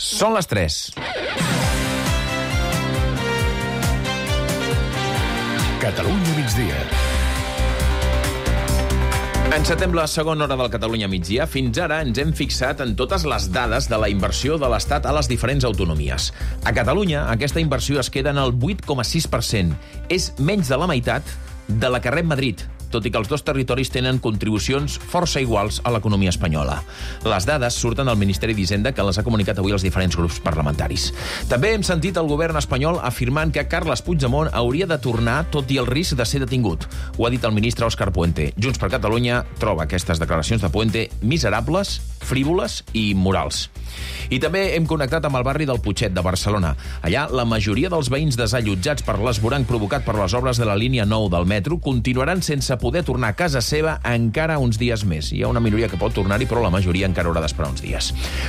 Són les 3. Catalunya migdia. Encetem la segona hora del Catalunya migdia. Fins ara ens hem fixat en totes les dades de la inversió de l'Estat a les diferents autonomies. A Catalunya, aquesta inversió es queda en el 8,6%. És menys de la meitat de la que rep Madrid, tot i que els dos territoris tenen contribucions força iguals a l'economia espanyola. Les dades surten del Ministeri d'Hisenda, que les ha comunicat avui als diferents grups parlamentaris. També hem sentit el govern espanyol afirmant que Carles Puigdemont hauria de tornar tot i el risc de ser detingut. Ho ha dit el ministre Òscar Puente. Junts per Catalunya troba aquestes declaracions de Puente miserables, frívoles i immorals. I també hem connectat amb el barri del Putxet de Barcelona. Allà, la majoria dels veïns desallotjats per l'esvoranc provocat per les obres de la línia 9 del metro continuaran sense poder tornar a casa seva encara uns dies més. Hi ha una minoria que pot tornar-hi, però la majoria encara haurà d'esperar uns dies.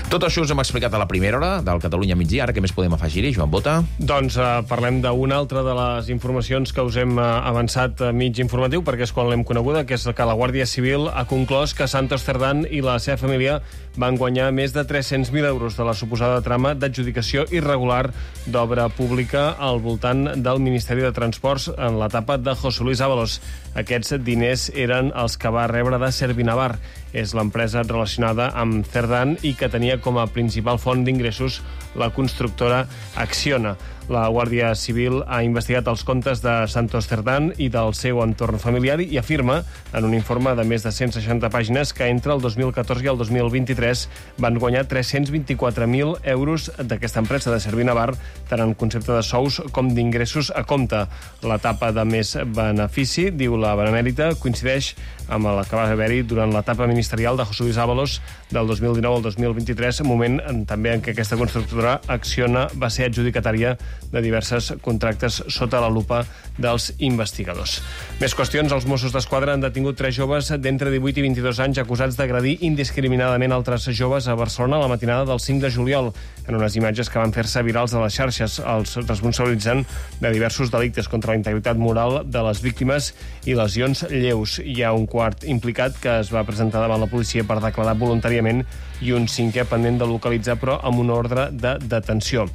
Tot això us hem explicat a la primera hora del Catalunya migdia. Ara què més podem afegir-hi, Joan Bota? Doncs parlem d'una altra de les informacions que us hem avançat a mig informatiu, perquè és quan l'hem coneguda, que és que la Guàrdia Civil ha conclòs que Santos Cerdán i la seva família van guanyar més de 300.000 euros de la suposada trama d'adjudicació irregular d'obra pública al voltant del Ministeri de Transports en l'etapa de José Luis Ábalos. Aquests diners eren els que va rebre de Servinavar. És l'empresa relacionada amb Cerdán i que tenia com a principal font d'ingressos la constructora Acciona. La Guàrdia Civil ha investigat els comptes de Santos Cerdán i del seu entorn familiar i afirma, en un informe de més de 160 pàgines, que entre el 2014 i el 2023 van guanyar 324.000 euros d'aquesta empresa de Servinavar, tant en concepte de sous com d'ingressos a compte. L'etapa de més benefici, diu la Benemèrita, coincideix amb la que va haver-hi durant l'etapa ministerial de José Luis Ábalos del 2019 al 2023, moment també en què aquesta constructora Acciona va ser adjudicatària de diversos contractes sota la lupa dels investigadors. Més qüestions. Els Mossos d'Esquadra han detingut 3 joves d'entre 18 i 22 anys acusats d'agredir indiscriminadament altres joves a Barcelona la matinada del 5 de juliol. En unes imatges que van fer-se virals a les xarxes, els responsabilitzen de diversos delictes contra la integritat moral de les víctimes i lesions lleus. Hi ha un quart implicat que es va presentar davant la policia per declarar voluntàriament i un cinquè pendent de localitzar, però amb una ordre de detenció.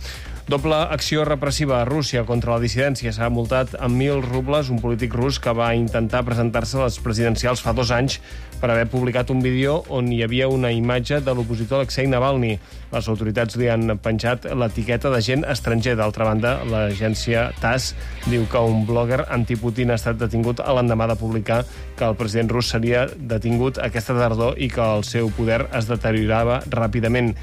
Doble acció repressiva a Rússia contra la dissidència. S'ha multat amb 1.000 rubles un polític rus que va intentar presentar-se a les presidencials fa 2 anys per haver publicat un vídeo on hi havia una imatge de l'opositor Alexei Navalny. Les autoritats li han penjat l'etiqueta d'agent estranger. D'altra banda, l'agència TASS diu que un blogger antiputin ha estat detingut a l'endemà de publicar que el president rus seria detingut aquesta tardor i que el seu poder es deteriorava ràpidament.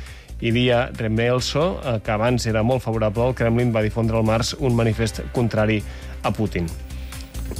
Ilya Remelso, que abans era molt favorable al Kremlin, va difondre al març un manifest contrari a Putin.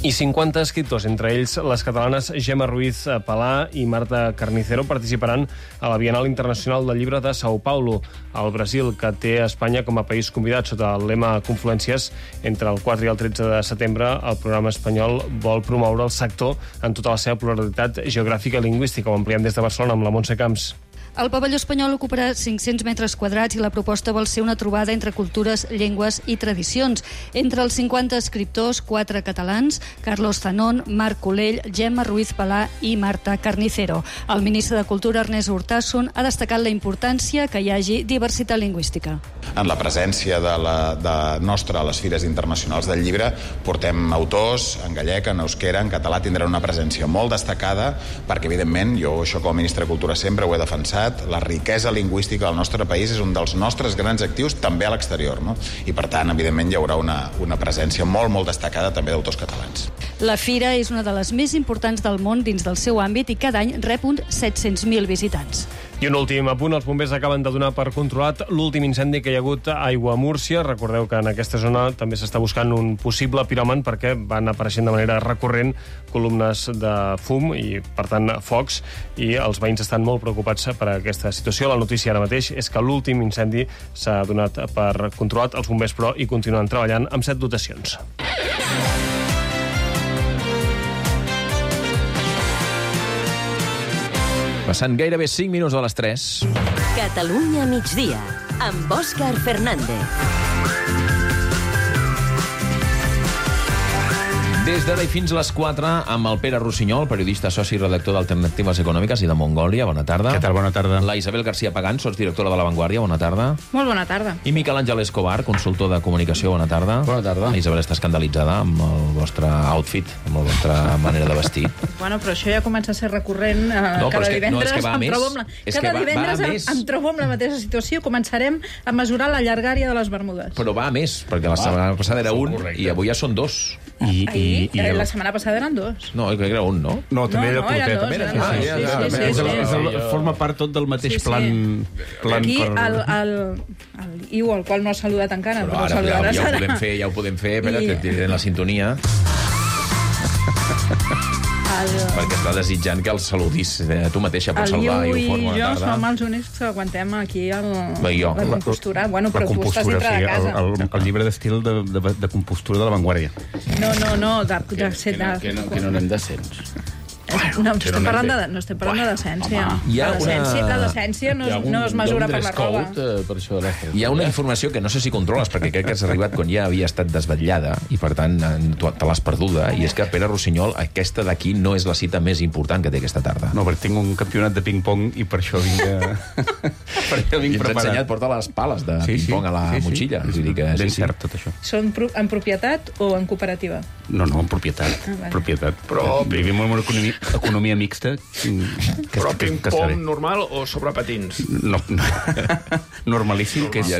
I 50 escriptors, entre ells les catalanes Gemma Ruiz Palà i Marta Carnicero, participaran a la Bienal Internacional del Llibre de São Paulo, al Brasil, que té Espanya com a país convidat sota el lema Confluències. Entre el 4 i el 13 de setembre, el programa espanyol vol promoure el sector en tota la seva pluralitat geogràfica i lingüística. Ho ampliem des de Barcelona amb la Montse Camps. El pavelló espanyol ocuparà 500 metres quadrats i la proposta vol ser una trobada entre cultures, llengües i tradicions. Entre els 50 escriptors, 4 catalans, Carlos Zanón, Marc Colell, Gemma Ruiz Palà i Marta Carnicero. El ministre de Cultura, Ernest Urtasun, ha destacat la importància que hi hagi diversitat lingüística. En la presència de nostra a les fires internacionals del llibre portem autors en gallec, en euskera, en català, tindran una presència molt destacada perquè, evidentment, jo això com a ministre de Cultura sempre ho he defensat, la riquesa lingüística del nostre país és un dels nostres grans actius també a l'exterior, no? I per tant, evidentment, hi haurà una presència molt, molt destacada també d'autors catalans. La fira és una de les més importants del món dins del seu àmbit i cada any rep uns 700.000 visitants. I un últim apunt, els bombers acaben de donar per controlat l'últim incendi que hi ha hagut a Aiguamúrcia. Recordeu que en aquesta zona també s'està buscant un possible piròman perquè van apareixent de manera recurrent columnes de fum i, per tant, focs, i els veïns estan molt preocupats per aquesta situació. La notícia ara mateix és que l'últim incendi s'ha donat per controlat. Els bombers, però, hi continuen treballant amb 7 dotacions. Passant gairebé 5 minuts de les 3. Catalunya migdia, amb Òscar Fernández. Des d'ara i fins a les 4, amb el Pere Rossinyol, periodista, soci i redactor d'Alternatives Econòmiques i de Mongòlia. Bona tarda. Què tal? Bona tarda. La Isabel García Pagán, sotsdirectora de La Vanguardia. Bona tarda. Molt bona tarda. I Miquel Àngel Escobar, consultor de comunicació. Bona tarda. Bona tarda. La Isabel està escandalitzada amb el vostre outfit, amb la vostra manera de vestir. Bueno, però això ja comença a ser recurrent. Cada divendres em trobo amb la mateixa situació. Començarem a mesurar la llargària de les bermudes. Però va a més, perquè la setmana passada era un i avui ja són dos. La setmana passada eren dos. No, crec que era un, no? No, també era curtet. Forma part tot del mateix plan. Aquí, el Iu, el qual no ha saludat encara, però ja ho podem fer, espera, que et diré la sintonia. Perquè està desitjant que el saludis. Tu mateixa pots saludar i ho fot. Bona tarda. El Iu i jo som els únics que aguantem aquí la compostura. Bueno, però tu estàs dintre de casa. El llibre d'estil de compostura de La Vanguardia. No, que no anem d'ascens. No estem parlant de decència. La decència no es mesura per la roba. Hi ha una informació que no sé si controles, perquè crec que has arribat quan ja havia estat desvetllada i, per tant, te l'has perduda, i és que, Pere Rossinyol, aquesta d'aquí no és la cita més important que té aquesta tarda. No, perquè tinc un campionat de ping-pong i per això vinc preparat. I ens ha ensenyat, porta les pales de ping-pong a la motxilla. Ben cert, tot això. Són en propietat o en cooperativa? No, en propietat. Però vivim en una economia mixta. Però ping-pong normal o sobre patins? No. Normalíssim, que és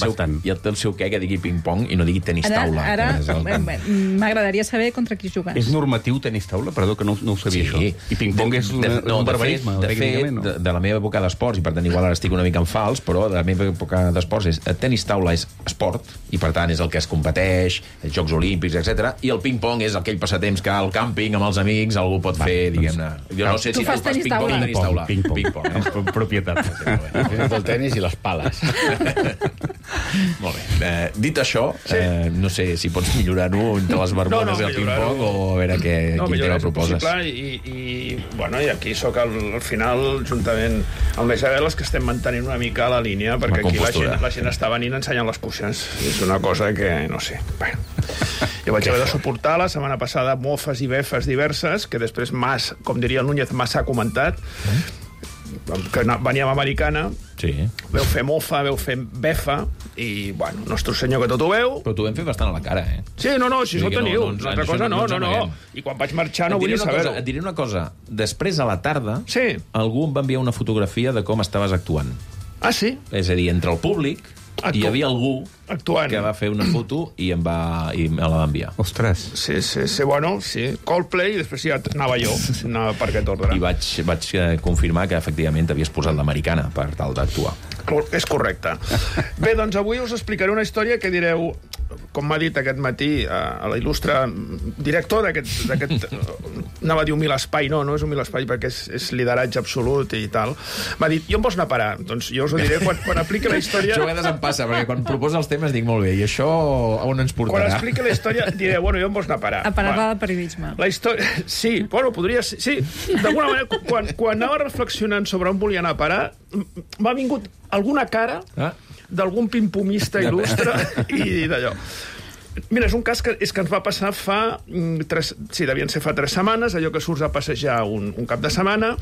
bastant. Ja té el seu què que digui ping-pong i no digui tenis taula. Ara m'agradaria saber contra qui jugues. És normatiu tenis taula? Perdó, que no ho sabia, això. I ping-pong és un barbarisme. De fet, de la meva època d'esports, i per tant igual ara estic una mica en fals, però de la meva època d'esports tenis taula és esport, i per tant és el que es competeix, els Jocs Olímpics, etc. I el ping-pong és aquell passatemps que al càmping amb els amics algú pot fer, diguem-ne. Jo no sé si tu fas ping-pong o tenis taula. Ping-pong, propietat. El tenis i les pales. Molt bé. Dit això, no sé si pots millorar-ho entre les bermudes i el ping-pong o a veure quin tema proposes. I aquí sóc al final, juntament amb la Isabel, els que estem mantenint una mica la línia, perquè aquí la gent està venint ensenyant les cuixes. És una cosa que, no sé, jo vaig haver de suportar la setmana passada mofes i befes diverses, que després com diria el Núñez, m'ha comentat, que veníem a Americana, veu fer mofa, veu fer befa, i, bueno, nostre senyor que tot ho veu... Però t'ho vam fer bastant a la cara, eh? Sí, si això ho teniu. Una altra cosa, no. I quan vaig marxar no vull saber-ho. Et diré una cosa. Després, a la tarda, algú em va enviar una fotografia de com estaves actuant. Ah, sí? És a dir, entre el públic hi havia algú que va fer una foto i me la va enviar. Ostres. Sí, Coldplay, i després ja anava jo per aquest ordre. I vaig confirmar que efectivament t'havies posat l'americana per tal d'actuar. És correcte. Bé, doncs avui us explicaré una història que direu, com m'ha dit aquest matí la il·lustre director d'aquest anava a dir humil espai, no és humil espai perquè és lideratge absolut i tal, m'ha dit, i on vols anar a parar? Doncs jo us ho diré quan apliqui la història. Això a vegades em passa, perquè quan proposa els temes dic molt bé, i això on ens portarà? Quan expliqui la història diré, i on vols anar a parar? A parar-la de periodisme. La història, sí, podria ser, sí, d'alguna manera, quan anava reflexionant sobre on volia anar a parar, m'ha vingut alguna cara d'algun pimpomista il·lustre i d'allò. Mira, és un cas que ens va passar devien ser fa 3 setmanes, allò que surts a passejar un cap de setmana,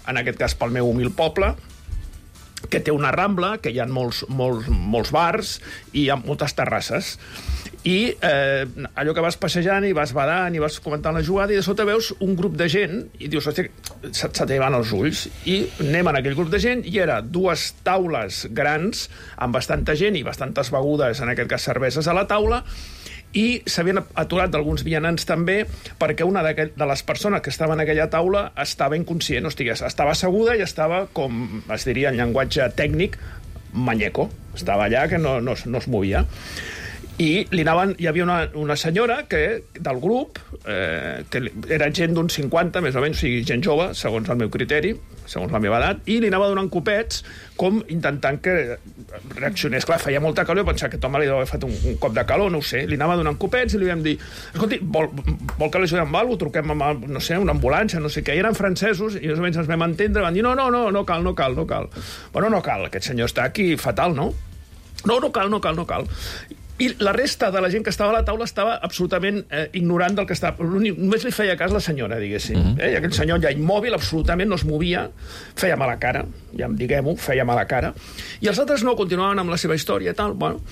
en aquest cas pel meu humil poble, que té una rambla, que hi ha molts bars i hi ha moltes terrasses. I allò que vas passejant i vas badant i vas comentant la jugada, i de sota veus un grup de gent i dius, hòstia, se te van els ulls, i anem en aquell grup de gent, i era 2 taules grans amb bastanta gent i bastantes begudes, en aquest cas cerveses a la taula, i s'havien aturat d'alguns vianants també, perquè una de les persones que estava en aquella taula estava inconscient, estava asseguda i estava, com es diria en llenguatge tècnic, manyeco, estava allà que no es movia. I hi havia una senyora del grup, que era gent d'uns 50, més o menys, o sigui, gent jove, segons el meu criteri, segons la meva edat, i li anava donant copets, com intentant que reaccionés. Clar, feia molta calor, jo pensava que Tom li havia fet un cop de calor, no ho sé. Li anava donant copets i li vam dir, escolti, vol que l'ajudem amb alguna cosa? Truquem amb, no sé, una ambulància, no sé què. I eren francesos, i més o menys ens vam entendre, van dir, no cal. Bueno, no cal, aquest senyor està aquí fatal, no? No cal. I la resta de la gent que estava a la taula estava absolutament ignorant del que estava. Només li feia cas la senyora, diguéssim. I aquell senyor ja immòbil, absolutament no es movia, feia mala cara, ja diguem-ho, feia mala cara. I els altres no, continuaven amb la seva història i tal, bueno.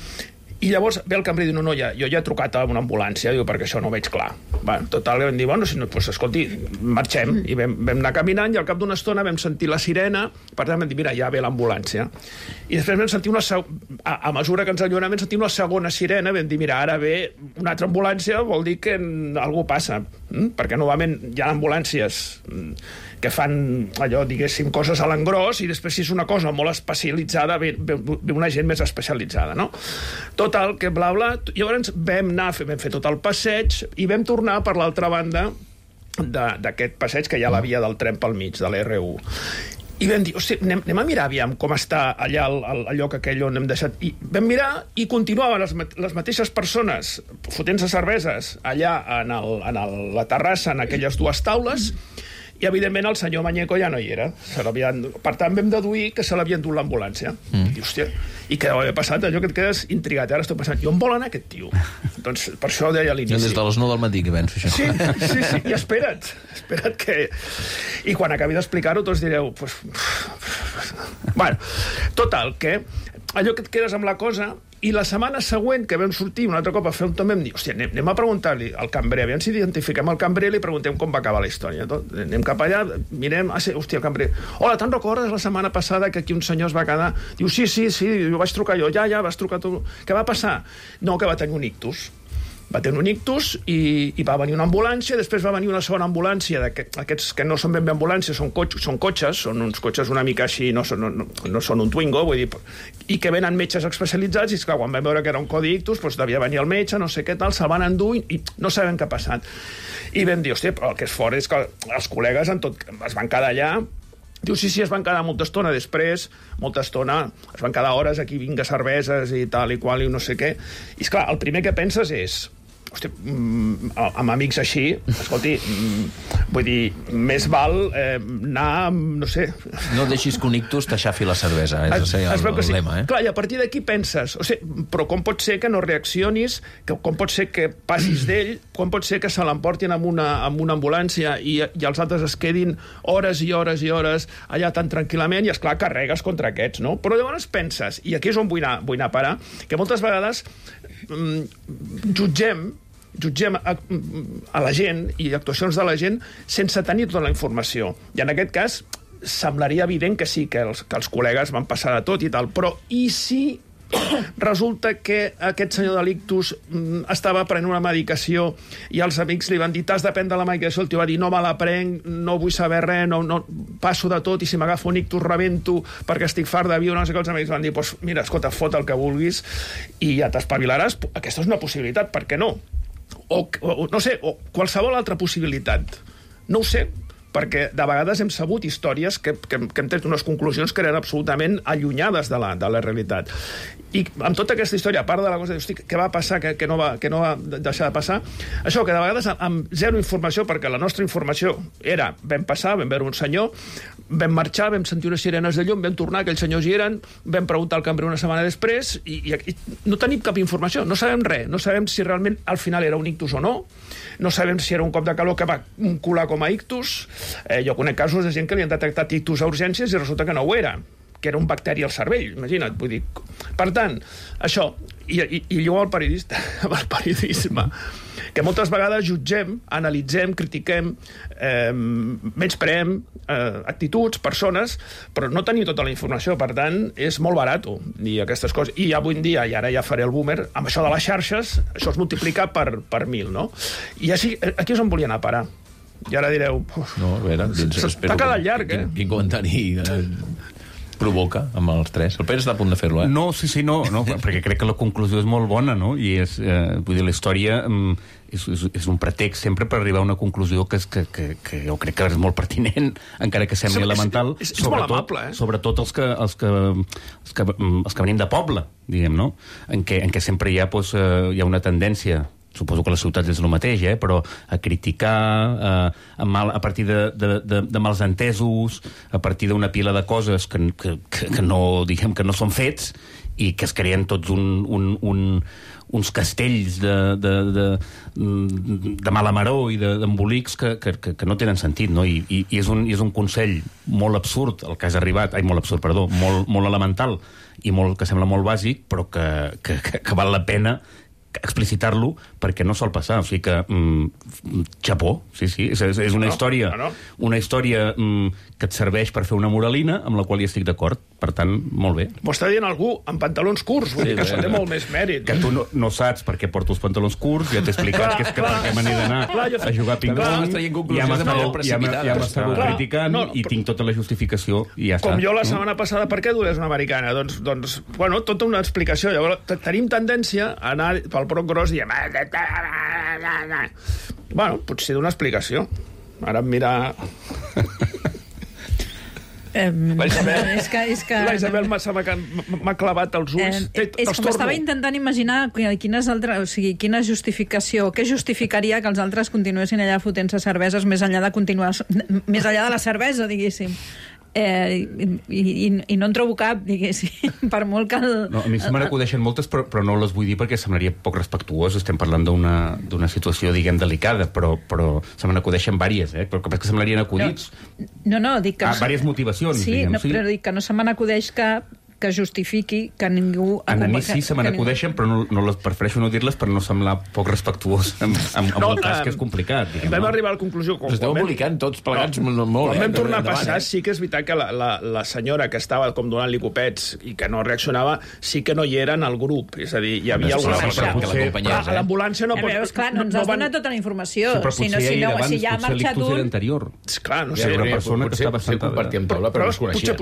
I llavors ve el cambrer i diu, no, jo ja he trucat a una ambulància, diu, perquè això no ho veig clar. Bueno, total, vam dir, bueno, si no, doncs, escolti, marxem. I vam anar caminant i al cap d'una estona vam sentir la sirena, per tant vam dir, mira, ja ve l'ambulància. I després vam sentir a mesura que ens allunyàvem, vam sentir una segona sirena, vam dir, mira, ara ve una altra ambulància, vol dir que alguna passa. Perquè normalment hi ha ambulàncies que fan allò, diguéssim, coses a l'engròs, i després si és una cosa molt especialitzada ve una gent més especialitzada, no? Total, que bla, bla. Llavors vam fer tot el passeig i vam tornar per l'altra banda d'aquest passeig, que hi ha la via del tren pel mig, de l'R1. I vam dir, hosti, anem a mirar aviam com està allà el lloc aquell on hem deixat. I vam mirar i continuaven les mateixes persones fotent-se cerveses allà en la terrassa, en aquelles dues taules, i evidentment el senyor Mañeco ja no hi era. Per tant vam deduir que se l'havien dut l'ambulància. I hòstia, i què deu haver passat? Allò que et quedes intrigat. Ara estic pensant, i on vol anar aquest tio? Doncs per això ho deia a l'inici. Des de les 9 del matí que penso això. Sí, i espera't que... I quan acabi d'explicar-ho tots direu... Bueno, total, que allò que et quedes amb la cosa... I la setmana següent, que vam sortir un altre cop a fer un tom, vam dir, hòstia, anem a preguntar-li al cambrer, aviam si identifiquem el cambrer i li preguntem com va acabar la història. Anem cap allà, mirem, hòstia, el cambrer, hola, te'n recordes la setmana passada que aquí un senyor es va quedar? Diu, sí, jo vaig trucar jo, ja, vas trucar tu. Què va passar? No, que va tenir un ictus. Va tenir un ictus i va venir una ambulància, després va venir una segona ambulància, aquests que no són ben bé ambulàncies, són cotxes, són uns cotxes una mica així, no són un Twingo, vull dir, i que venen metges especialitzats, i clar, quan vam veure que era un codi ictus, doncs devia venir el metge, no sé què tal, se'l van endur i no sabem què ha passat. I vam dir, hòstia, però el que és fort és que els col·legues es van quedar allà. Diu, sí, es van quedar molta estona després, es van quedar hores aquí, vinga, cerveses i tal i qual, i no sé què. I esclar, el primer que penses és, hòstia, amb amics així, escolti, vull dir, més val anar, no sé... No deixis que un ictus t'aixafi la cervesa, és el lema, Clar, i a partir d'aquí penses, però com pot ser que no reaccionis, com pot ser que passis d'ell, com pot ser que se l'emportin amb una ambulància i els altres es quedin hores i hores i hores allà tan tranquil·lament i, esclar, carregues contra aquests, no? Però llavors penses, i aquí és on vull anar a parar, que moltes vegades jutgem a la gent i actuacions de la gent sense tenir tota la informació. I en aquest cas semblaria evident que sí, que els col·legues van passar de tot i tal, però i si resulta que aquest senyor de l'ictus estava prenent una medicació i els amics li van dir, t'has de prendre la medicació, el tio va dir, no me la prenc, no vull saber res, no passo de tot, i si m'agafo un ictus rebento perquè estic fart de viure, no sé què, els amics van dir, pues, mira, escolta, fot el que vulguis i ja t'espavilaràs. Aquesta és una possibilitat, per què no? O no sé, o qualsevol altra possibilitat. No ho sé, perquè de vegades hem sabut històries que hem tret unes conclusions que eren absolutament allunyades de la realitat. I amb tota aquesta història, a part de la cosa de, hosti, què va passar, que no va deixar de passar, això que de vegades amb zero informació, perquè la nostra informació era, vam passar, vam veure un senyor, vam marxar, vam sentir unes sirenes de llum, vam tornar, aquells senyors hi eren, vam preguntar al cambrer una setmana després, i no tenim cap informació, no sabem res, no sabem si realment al final era un ictus o no, no sabem si era un cop de calor que va colar com a ictus. Jo conec casos de gent que li han detectat ictus a urgències i resulta que no ho era, que era un bacteri al cervell, imagina't, vull dir. Per tant, això, i jo al periodista, amb el periodisme, que moltes vegades jutgem, analitzem, critiquem, menyspreem actituds, persones, però no tenim tota la informació, per tant, és molt barat dir aquestes coses. I avui en dia, i ara ja faré el boomer, amb això de les xarxes, això es multiplica per 1.000, no? I així, aquí és on volia anar a parar. I ara direu... No, a veure, t'ha quedat llarg, Quin comentari provoca amb els tres. El Pere està a punt de fer-lo, No, sí, no, perquè crec que la conclusió és molt bona, no? I és, vull dir, la història és un pretext sempre per arribar a una conclusió que jo crec que és molt pertinent, encara que sembli elemental. És molt amable, Sobretot els que venim de poble, diguem, no? En què sempre hi ha una tendència suposo que a les ciutats és el mateix, però a criticar, a partir de mals entesos, a partir d'una pila de coses que no, diguem, que no són fets, i que es creen tots uns castells de mala maror i d'embolics que no tenen sentit, no? I és un consell molt absurd, el que has arribat, molt absurd, perdó, molt elemental i que sembla molt bàsic, però que val la pena explicitar-lo perquè no sol passar. O sigui que, xapó, sí, és una història que et serveix per fer una moralina, amb la qual hi estic d'acord. Per tant, molt bé. M'ho està dient algú amb pantalons curts, vull dir que això té molt més mèrit. Que tu no saps per què porto els pantalons curts, ja t'he explicat que és que perquè me n'he d'anar a jugar a ping-pong, ja m'estàveu criticant i tinc tota la justificació i ja està. Com jo la setmana passada, per què dues una americana? Doncs, bueno, tota una explicació. Llavors, tenim tendència a anar pel broc gros i diem... Bueno, potser d'una explicació. Ara em mira... La Isabel m'ha clavat els ulls. És que m'estava intentant imaginar quina justificació, què justificaria que els altres continuessin allà fotent-se cerveses més enllà de la cervesa, diguéssim. I no en trobo cap, diguéssim, per molt que... A mi se me n'acudeixen moltes, però no les vull dir perquè semblaria poc respectuós. Estem parlant d'una situació, diguem, delicada, però se me n'acudeixen vàries, però que sembllarien acudits. No, dic que... Vàries motivacions, diguem. Sí, però dic que no se me n'acudeix cap que justifiqui que ningú... A mi sí se me n'acudeixen, però prefereixo no dir-les per no semblar poc respectuós amb el cas, que és complicat. Vam arribar a la conclusió... Us esteu embolicat tots plegats molt. Quan vam tornar a passar, sí que és veritat que la senyora que estava com donant-li copets i que no reaccionava, sí que no hi era en el grup. És a dir, hi havia alguna persona que l'acompanyés. A l'ambulància no pot... Clar, no ens has donat tota la informació. Si ja ha marxat un... Clar, no sé. Potser compartíem taula, però no es coneixien.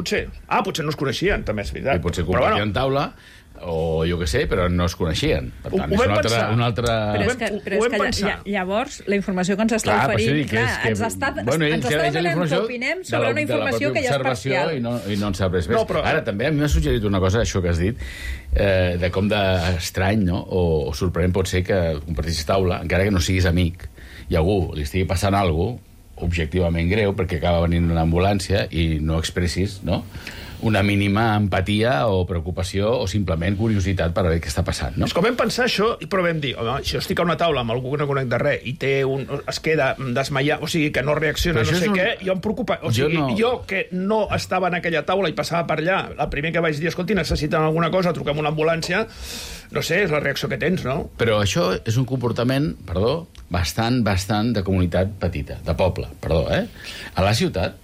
Potser no es coneixien, també és veritat. I potser compartien taula, o jo què sé, però no es coneixien. Per tant, és una altra... Però és que llavors la informació que ens està oferint, ens està demanant que opinem sobre una informació que ja és parcial. I no en sap res més. Ara, també a mi m'ha suggerit una cosa, això que has dit, de com d'estrany, o sorprenent pot ser que compartissis taula, encara que no siguis amic, i algú li estigui passant alguna cosa objectivament greu, perquè acaba venint una ambulància i no expressis, no?, una mínima empatia o preocupació o simplement curiositat per veure què està passant, no? És com vam pensar això, però vam dir, home, si jo estic a una taula amb algú que no conec de res i es queda desmaiat, o sigui, que no reacciona, no sé què, jo em preocupa. O sigui, jo que no estava en aquella taula i passava per allà, el primer que vaig dir, escolti, necessiten alguna cosa, truquem una ambulància, no sé, és la reacció que tens, no? Però això és un comportament, bastant de comunitat petita, de poble, A la ciutat,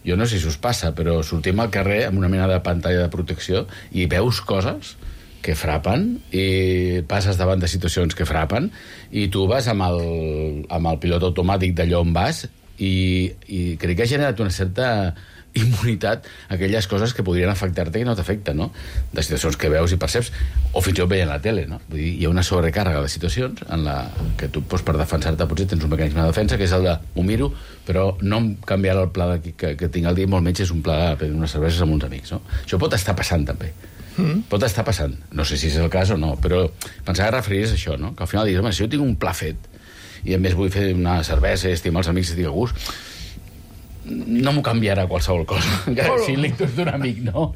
jo no sé si us passa, però sortim al carrer amb una mena de pantalla de protecció i veus coses que frapen i passes davant de situacions que frapen i tu vas amb el pilot automàtic d'allò on vas i crec que ha generat una certa immunitat a aquelles coses que podrien afectar-te i no t'afecten, no? De situacions que veus i perceps, o fins i tot veient la tele, no? Vull dir, hi ha una sobrecàrrega de situacions en la que tu, per defensar-te, potser tens un mecanisme de defensa, que és el de m'ho miro, però no em canviarà el pla que tinc al dia, molt menys és un pla de prendre unes cerveses amb uns amics, no? Això pot estar passant, també. Pot estar passant. No sé si és el cas o no, però pensava que referiries a això, no? Que al final digues, home, si jo tinc un pla fet i a més vull fer una cervesa i estimar els amics i estic a gust, no m'ho canviarà qualsevol cosa, encara que sigui l'ictus d'un amic, no?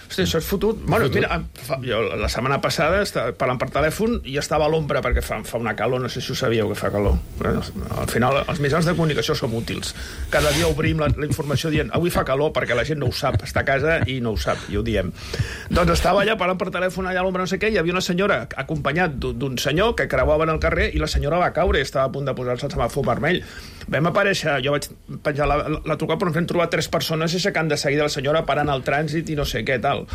Hosti, això és fotut. Bueno, mira, jo la setmana passada, parlant per telèfon, i estava a l'ombra perquè fa una calor, no sé si ho sabíeu que fa calor. Al final, els mitjans de comunicació som útils. Cada dia obrim la informació dient avui fa calor perquè la gent no ho sap, està a casa i no ho sap, i ho diem. Doncs estava allà parlant per telèfon allà a l'ombra, no sé què, i hi havia una senyora acompanyat d'un senyor que creuaven el carrer i la senyora va caure i estava a punt de posar-se el semàfor vermell. Vam aparèixer, jo vaig penjar la trucada, però ens vam trobar 3 persones aixecant de seguida la senyora parant el trànsit i no sé què tal.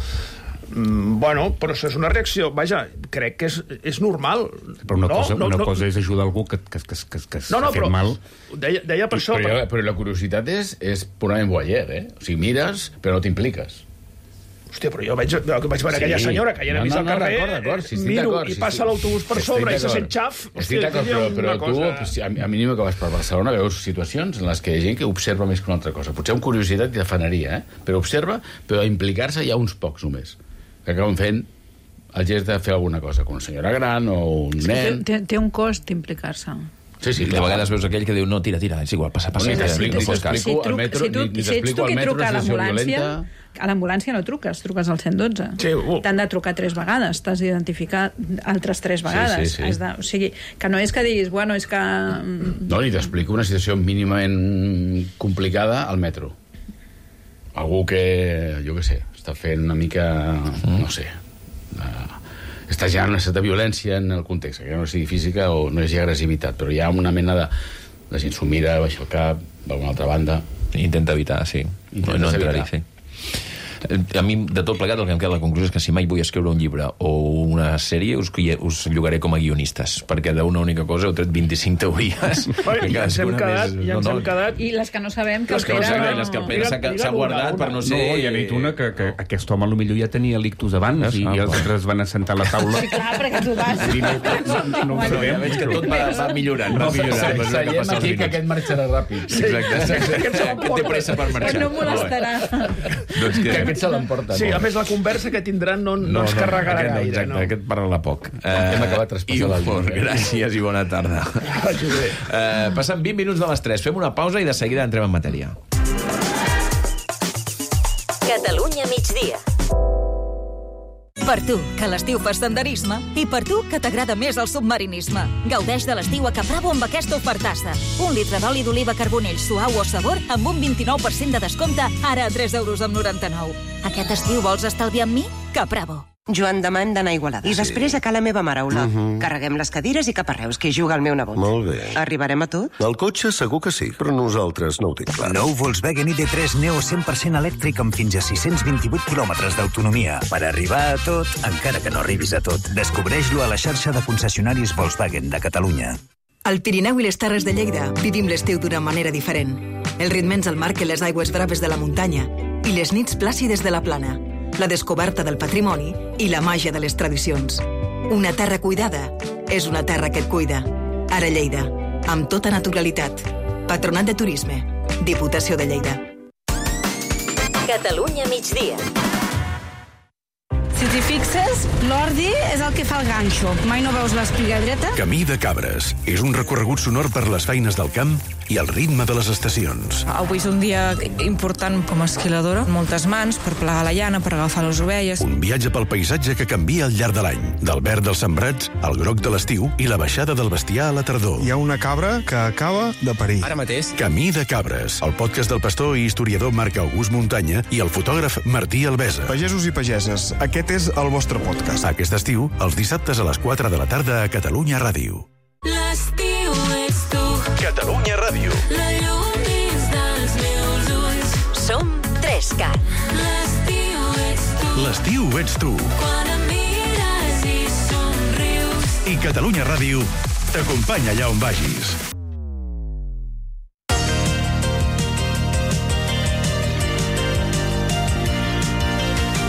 Bueno, però això és una reacció, vaja, crec que és normal. Però una cosa és ajudar algú que s'ha fet mal. Deia per això... Però la curiositat és purament voyeur, O sigui, mires, però no t'impliques. Hòstia, però jo vaig veure aquella senyora que hi ha vist al carrer, miro i passa l'autobús per sobre i se sent xaf. Estic d'acord, però tu, a mínim que vas per Barcelona, veus situacions en les que hi ha gent que observa més que una altra cosa. Potser amb curiositat i de faneria, però observa, però a implicar-se hi ha uns pocs només, que acaben fent el gest de fer alguna cosa, com una senyora gran o un nen... Té un cost implicar-se. Sí, de vegades veus aquell que diu, no, tira, és igual, passa. Si t'explico al metro, ni t'explico al metro una situació violenta... A l'ambulància no truques al 112. Sí, T'han de trucar 3 vegades, t'has d'identificar altres 3 vegades. Sí. O sigui, que no és que diguis, bueno, és que... No, ni t'explico una situació mínimament complicada al metro. Algú que, jo què sé, està fent una mica, no sé, està ja en una certa violència en el context, que no sigui física o no hi hagi agressivitat, però hi ha una mena de gent s'ho mira, baixa el cap, d'alguna altra banda. Intenta evitar, sí. No entrar-hi, sí. A mi, de tot plegat, el que em queda la conclusió és que si mai vull escriure un llibre o una sèrie, us llogaré com a guionistes, perquè d'una única cosa heu tret 25 teories. Ja ens hem quedat... I les que no sabem, que les que el Pere s'ha guardat per no ser... No, ja ha dit una que aquest home potser ja tenia l'ictus abans i els altres van assentar a la taula. Sí, clar, perquè tu vas... No ho sabem. Veig que tot va millorant. Seguim aquí, que aquest marxarà ràpid. Exacte. Que té pressa per marxar. No molestarà. Doncs que aquest se l'emporta. Sí, a més la conversa que tindran no ens carregarà gaire. Exacte, aquest parla poc. Hem acabat traspassant el llibre. Gràcies i bona tarda. Passen 20 minuts de les 3. Fem una pausa i de seguida entrem en matèria. Catalunya migdia. Per tu, que a l'estiu fas senderisme, i per tu, que t'agrada més el submarinisme. Gaudeix de l'estiu a Caprabo amb aquesta ofertassa. 1 litre d'oli d'oliva Carbonell suau o sabor amb un 29% de descompte, ara a 3,99 €. Aquest estiu vols estalviar amb mi? Caprabo. Joan, demà hem d'anar a Igualada. I després a la meva mare, Ola. Carreguem les cadires i cap a Reus, que hi juga el meu nebot. Molt bé. Arribarem a tot? El cotxe segur que sí, però nosaltres no ho tinc clar. Nou Volkswagen ID3 Neo 100% elèctric amb fins a 628 quilòmetres d'autonomia. Per arribar a tot, encara que no arribis a tot. Descobreix-lo a la xarxa de concessionaris Volkswagen de Catalunya. Al Pirineu i les Terres de Lleida vivim l'estiu d'una manera diferent. El ritme ens el marquen les aigües braves de la muntanya i les nits plàcides de la plana, la descoberta del patrimoni i la màgia de les tradicions. Una terra cuidada és una terra que et cuida. Ara Lleida, amb tota naturalitat. Patronat de Turisme, Diputació de Lleida. Catalunya migdia. Si t'hi fixes, l'ordi és el que fa el ganxo. Mai no veus l'espiga dreta? Camí de Cabres. És un recorregut sonor per les feines del camp i el ritme de les estacions. Avui és un dia important com a esquiladora. Moltes mans per plegar la llana, per agafar les ovelles. Un viatge pel paisatge que canvia al llarg de l'any. Del verd dels sembrats al groc de l'estiu i la baixada del bestiar a la tardor. Hi ha una cabra que acaba de parir. Ara mateix. Camí de Cabres. El podcast del pastor i historiador Marc August Muntanya i el fotògraf Martí Albesa. Pagesos i pageses, aquest és el vostre podcast. Aquest estiu, els dissabtes a les 4 de la tarda a Catalunya Ràdio. L'estiu ets tu. Catalunya Ràdio. La llum dins dels meus ulls. Som 3Cat. L'estiu ets tu. L'estiu ets tu. Quan em mires i somrius. I Catalunya Ràdio t'acompanya allà on vagis.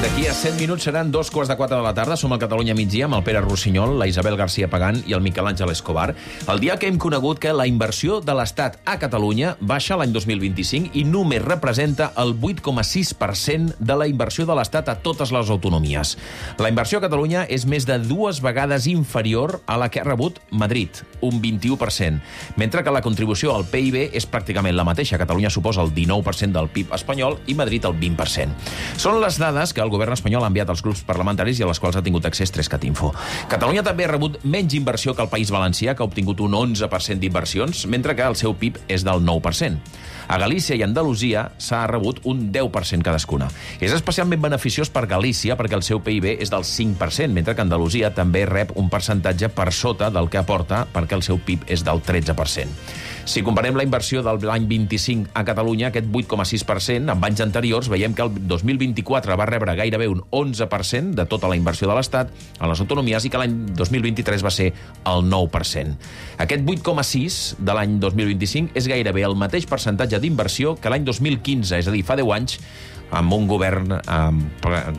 D'aquí a 7 minuts seran 2:15 de la tarda. Som al Catalunya migdia amb el Pere Rossinyol, la Isabel García Pagán i el Miquel Àngel Escobar. El dia que hem conegut que la inversió de l'Estat a Catalunya baixa l'any 2025 i només representa el 8,6% de la inversió de l'Estat a totes les autonomies. La inversió a Catalunya és més de 2 vegades inferior a la que ha rebut Madrid, un 21%, mentre que la contribució al PIB és pràcticament la mateixa. Catalunya suposa el 19% del PIB espanyol i Madrid el 20%. Són les dades que el govern espanyol ha enviat als grups parlamentaris i a les quals ha tingut accés 3Cat Info. Catalunya també ha rebut menys inversió que el País Valencià, que ha obtingut un 11% d'inversions, mentre que el seu PIB és del 9%. A Galícia i Andalusia s'ha rebut un 10% cadascuna. És especialment beneficiós per Galícia perquè el seu PIB és del 5%, mentre que Andalusia també rep un percentatge per sota del que aporta perquè el seu PIB és del 13%. Si comparem la inversió de l'any 25 a Catalunya, aquest 8,6%, amb anys anteriors, veiem que el 2024 va rebre gairebé un 11% de tota la inversió de l'Estat a les autonomies i que l'any 2023 va ser el 9%. Aquest 8,6% de l'any 2025 és gairebé el mateix percentatge d'inversió que l'any 2015, és a dir, fa 10 anys, amb un govern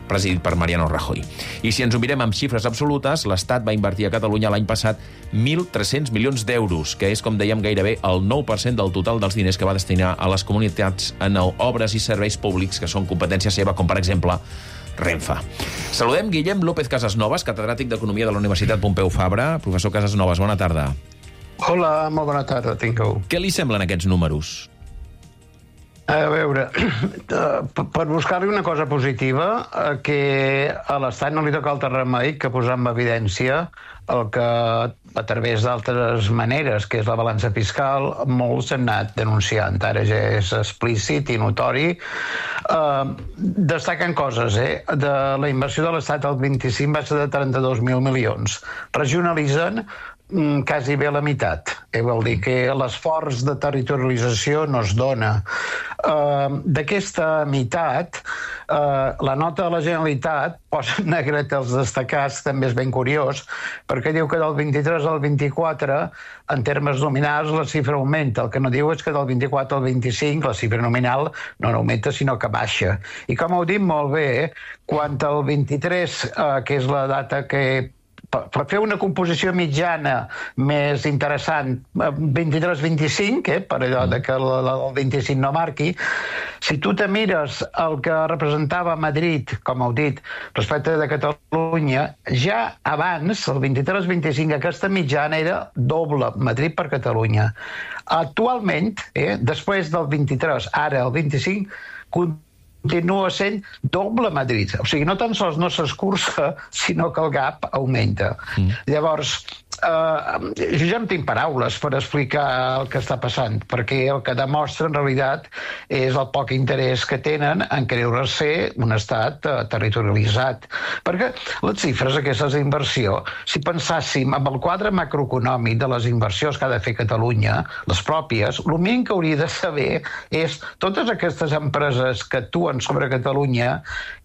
presidit per Mariano Rajoy. I si ens ho mirem amb xifres absolutes, l'Estat va invertir a Catalunya l'any passat 1.300 milions d'euros, que és, com dèiem, gairebé el 9% del total dels diners que va destinar a les comunitats en obres i serveis públics que són competència seva, com per exemple Renfe. Saludem Guillem López Casasnovas, catedràtic d'Economia de la Universitat Pompeu Fabra. Professor Casasnovas, bona tarda. Hola, molt bona tarda, tingueu. Què li semblen aquests números? A veure, per buscar-li una cosa positiva, que a l'Estat no li toca altre remei que posar en evidència el que, a través d'altres maneres, que és la balança fiscal, molts han anat denunciant. Ara ja és explícit i notori. Destaquen coses, de la inversió de l'Estat al 25 va ser de 32.000 milions. Regionalitzen quasi bé la meitat. Vol dir que l'esforç de territorialització no es dona. D'aquesta meitat, la nota de la Generalitat posa en negret els destacats, també és ben curiós, perquè diu que del 23 al 24, en termes nominals, la xifra augmenta. El que no diu és que del 24 al 25 la xifra nominal no augmenta, sinó que baixa. I com heu dit molt bé, quan el 23, que és la data que per fer una composició mitjana més interessant, 23-25, per allò que el 25 no marqui, si tu te mires el que representava Madrid, com heu dit, respecte de Catalunya, ja abans, el 23-25, aquesta mitjana era doble, Madrid per Catalunya. Actualment, després del 23, ara el 25, continua sent doble Madrid. O sigui, no tan sols no s'escurça, sinó que el gap augmenta. Llavors, jo ja no tinc paraules per explicar el que està passant, perquè el que demostra, en realitat, és el poc interès que tenen en creure-se un estat territorialitzat. Perquè les xifres aquestes d'inversió, si pensàssim en el quadre macroeconòmic de les inversions que ha de fer Catalunya, les pròpies, el mínim que hauria de saber és totes aquestes empreses que actuen sobre Catalunya,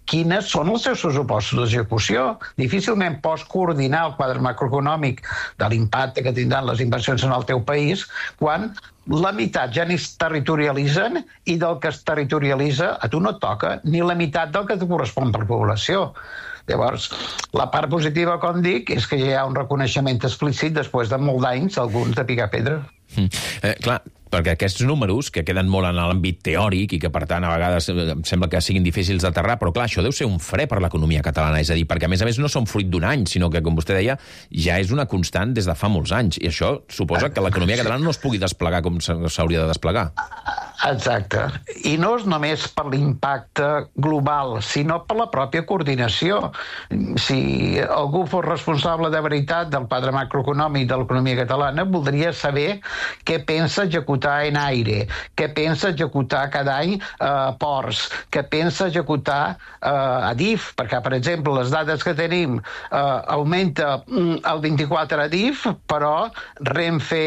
quines són els seus pressupostos d'execució. Difícilment pots coordinar el quadre macroeconòmic de l'impacte que tindran les inversions en el teu país quan la meitat ja ni es territorialitzen i del que es territorialitza a tu no et toca ni la meitat del que et correspon per població. Llavors, la part positiva, com dic, és que ja hi ha un reconeixement explícit després de molts d'anys, alguns de picar pedra. Clar, perquè aquests números, que queden molt en l'àmbit teòric i que, per tant, a vegades sembla que siguin difícils d'aterrar, però clar, això deu ser un fre per l'economia catalana, és a dir, perquè a més no són fruit d'un any, sinó que, com vostè deia, ja és una constant des de fa molts anys, i això suposa que l'economia catalana no es pugui desplegar com s'hauria de desplegar. Exacte. I no és només per l'impacte global, sinó per la pròpia coordinació. Si algú fos responsable de veritat del quadre macroeconòmic de l'economia catalana, voldria saber què pensa executar en aire, què pensa executar cada any ports, què pensa executar Adif, perquè, per exemple, les dades que tenim augmenta el 24 Adif, però Renfe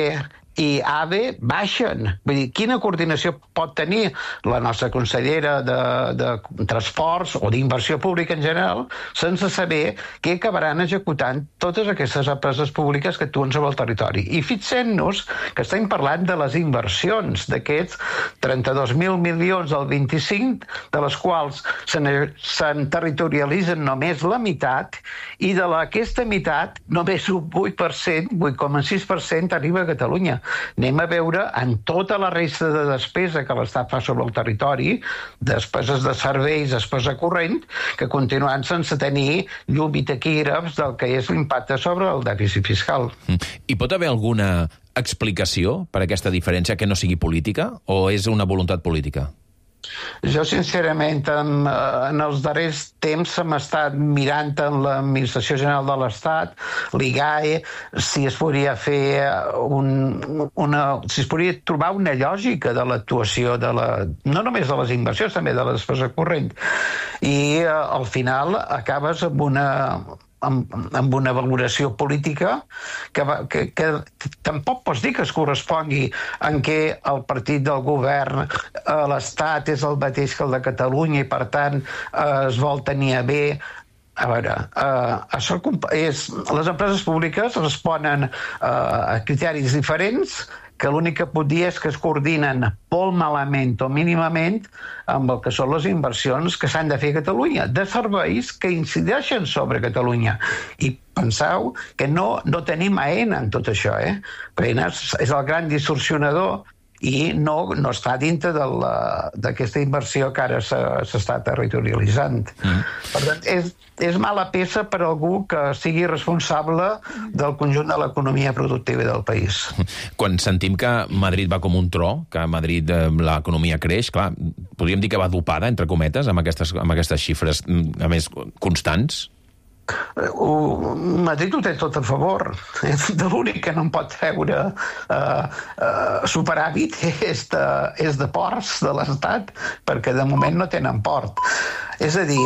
i AVE baixen. Vull dir, quina coordinació pot tenir la nostra consellera de transports o d'inversió pública en general sense saber què acabaran executant totes aquestes empreses públiques que actuen sobre el territori. I fixem-nos que estem parlant de les inversions d'aquests 32.000 milions del 25, de les quals se'n territorialitzen només la meitat i d'aquesta meitat només un 8%, 8,6% arriba a Catalunya. Anem a veure en tota la resta de despesa que l'Estat fa sobre el territori, despeses de serveis, despesa corrent, que continuen sense tenir llum i taquígrafs del que és l'impacte sobre el dèficit fiscal. I pot haver alguna explicació per aquesta diferència que no sigui política, o és una voluntat política? Jo, sincerament, en els darrers temps hem estat mirant en l'Administració General de l'Estat, l'IGAE, si es podria fer si es podria trobar una lògica de l'actuació no només de les inversions, també de la despesa corrent. I al final acabes amb una valoració política que tampoc pots dir que es correspongui en què el partit del govern a l'Estat és el mateix que el de Catalunya i, per tant, es vol tenir a bé. A veure, les empreses públiques responen a criteris diferents que l'únic que pot dir és que es coordinen molt malament o mínimament amb el que són les inversions que s'han de fer a Catalunya, de serveis que incideixen sobre Catalunya. I penseu que no tenim AENA en tot això. AENA és el gran distorsionador i no està dintre d'aquesta inversió que ara s'està territorialitzant. Per tant, és mala peça per algú que sigui responsable del conjunt de l'economia productiva del país. Quan sentim que Madrid va com un tro, que a Madrid l'economia creix, clar, podríem dir que va dopada, entre cometes, amb aquestes xifres, a més, constants? Madrid ho té tot a favor. De l'únic que no en pot treure superàvit és de ports de l'Estat, perquè de moment no tenen port. És a dir,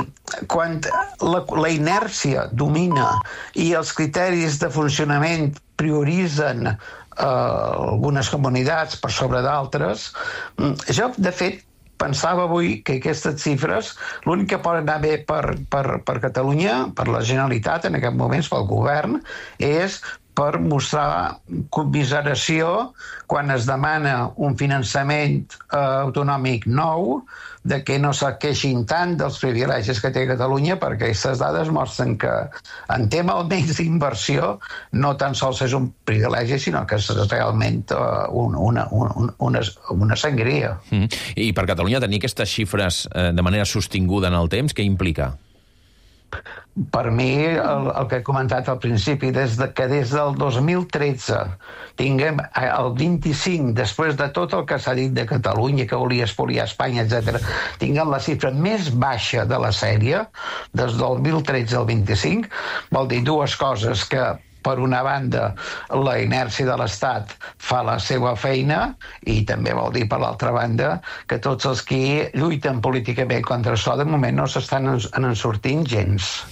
quan la inèrcia domina i els criteris de funcionament prioritzen algunes comunitats per sobre d'altres, jo, de fet, pensava avui que aquestes xifres, l'únic que pot anar bé per Catalunya, per la Generalitat, en aquest moment, pel govern, és per mostrar commiseració quan es demana un finançament autonòmic nou, de que no se queixin tant dels privilegis que té Catalunya, perquè aquestes dades mostren que en tema almenys d'inversió no tan sols és un privilegi, sinó que és realment una sangria. I per Catalunya tenir aquestes xifres de manera sostinguda en el temps, què implica? Per mi, el que he comentat al principi, des del 2013 tinguem el 25, després de tot el que s'ha dit de Catalunya, que volia espoliar Espanya, etc., tinguem la xifra més baixa de la sèrie, des del 2013 al 25, vol dir dues coses: que per una banda, la inèrcia de l'Estat fa la seva feina, i també vol dir, per l'altra banda, que tots els que lluiten políticament contra això, de moment no s'estan en sortint gens.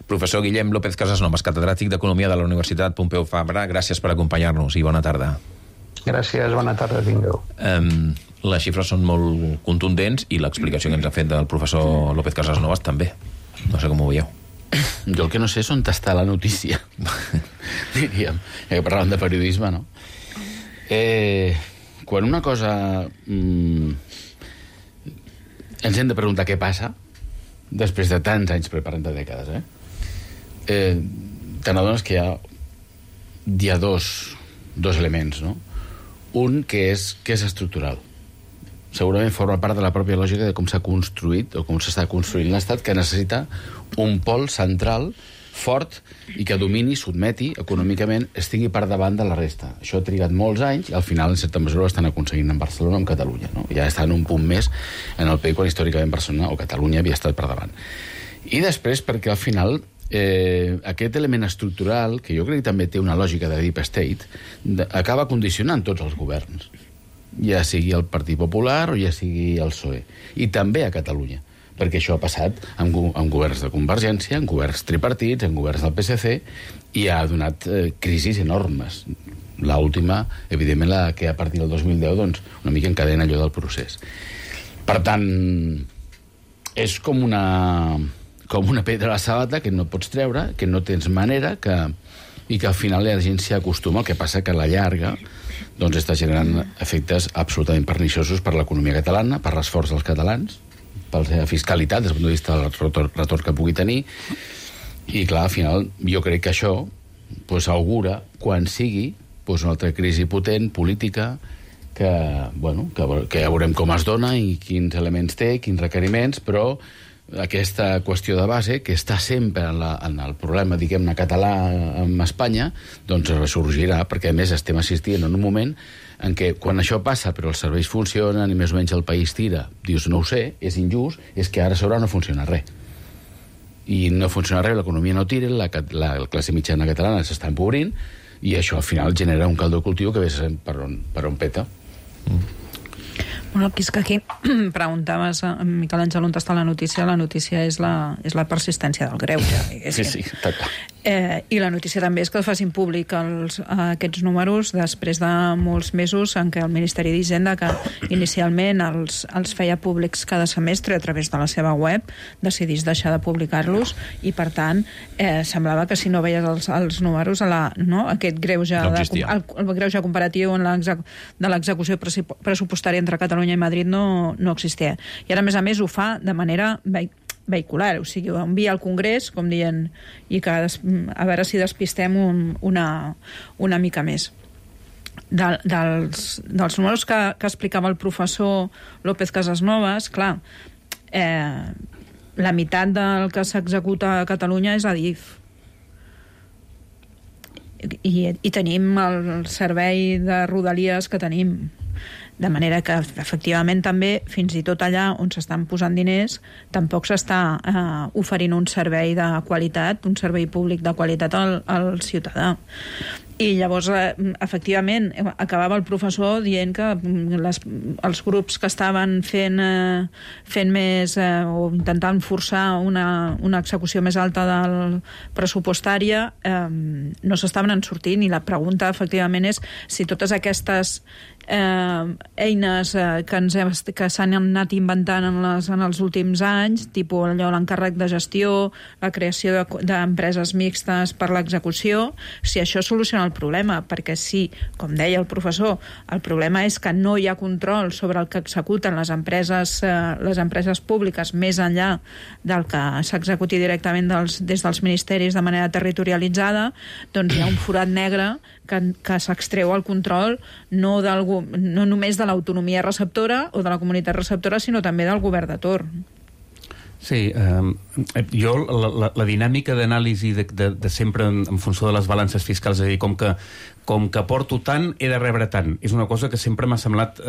Professor Guillem López Casasnovas, catedràtic d'Economia de la Universitat Pompeu Fabra, gràcies per acompanyar-nos i bona tarda. Gràcies, bona tarda, tingueu. Les xifres són molt contundents i l'explicació que ens ha fet del professor López Casasnovas també. No sé com ho veieu. Jo el que no sé és on està la notícia, diríem, que parlàvem de periodisme, no? Quan una cosa ens hem de preguntar què passa, després de tants anys preparant de dècades, t'adones que hi ha dos elements, no? Un que és estructural. Segurament forma part de la pròpia lògica de com s'ha construït o com s'està construint l'Estat, que necessita un pol central fort i que domini, sotmeti econòmicament, estigui per davant de la resta. Això ha trigat molts anys i al final, en certa mesura, ho estan aconseguint en Barcelona o en Catalunya, no? Ja està en un punt més en el país quan històricament Barcelona o Catalunya havia estat per davant. I després perquè al final aquest element estructural, que jo crec que també té una lògica de deep state, acaba condicionant tots els governs, ja sigui el Partit Popular o ja sigui el PSOE, i també a Catalunya, perquè això ha passat amb governs de Convergència, amb governs tripartits, amb governs del PSC, i ha donat crisis enormes. L'última, evidentment, la que a partir del 2010, doncs, una mica encadena allò del procés. Per tant, és com una pedra a la sabata que no pots treure, que no tens manera, i que al final la gent s'hi acostuma, el que passa que a la llarga doncs està generant efectes absolutament perniciosos per l'economia catalana, per l'esforç dels catalans, per la fiscalitat, des del punt de vista del retorn que pugui tenir, i clar, al final, jo crec que això augura, quan sigui, una altra crisi potent, política, que ja veurem com es dona i quins elements té, quins requeriments, però aquesta qüestió de base, que està sempre en el problema, diguem-ne, català amb Espanya, doncs ressorgirà, perquè a més estem assistint en un moment en què quan això passa però els serveis funcionen i més o menys el país tira, dius, no ho sé, és injust, és que ara a sobre no funciona res. I no funciona res, l'economia no tira, la classe mitjana catalana s'està empobrint, i això al final genera un caldo de cultiu que ves per on peta. Bueno, és que aquí preguntaves a Miquel Àngel on està la notícia és la persistència del greuge. Sí, està clar. I la notícia també és que facin públic aquests números després de molts mesos en què el Ministeri d'Hisenda, que inicialment els feia públics cada semestre a través de la seva web, decidís deixar de publicar-los i, per tant, semblava que si no veies els números, aquest greuge, el greuge comparatiu de l'execució pressupostària entre Catalunya i Madrid no existia. I ara, a més, ho fa de manera vehicular, o sigui, ho envia al Congrés, com dient, i que a veure si despistem una mica més. dels números que explicava el professor López Casasnovas, clar, la meitat del que s'executa a Catalunya és Adif. I tenim el servei de Rodalies que tenim. De manera que, efectivament, també, fins i tot allà on s'estan posant diners, tampoc s'està oferint un servei de qualitat, un servei públic de qualitat al ciutadà. I llavors, efectivament, acabava el professor dient que els grups que estaven fent més o intentant forçar una execució més alta del pressupostària no s'estaven en sortint, i la pregunta, efectivament, és si totes aquestes eines que s'han anat inventant en els últims anys, tipus allò, l'encàrrec de gestió, la creació d'empreses mixtes per l'execució, si això soluciona el problema, perquè si, com deia el professor, el problema és que no hi ha control sobre el que executen les empreses públiques més enllà del que s'executi directament des dels ministeris de manera territorialitzada, doncs hi ha un forat negre que s'extreu el control no només de l'autonomia receptora o de la comunitat receptora, sinó també del govern de torn. Sí, jo la dinàmica d'anàlisi de sempre en funció de les balances fiscals, és a dir, com que porto tant, he de rebre tant. És una cosa que sempre m'ha semblat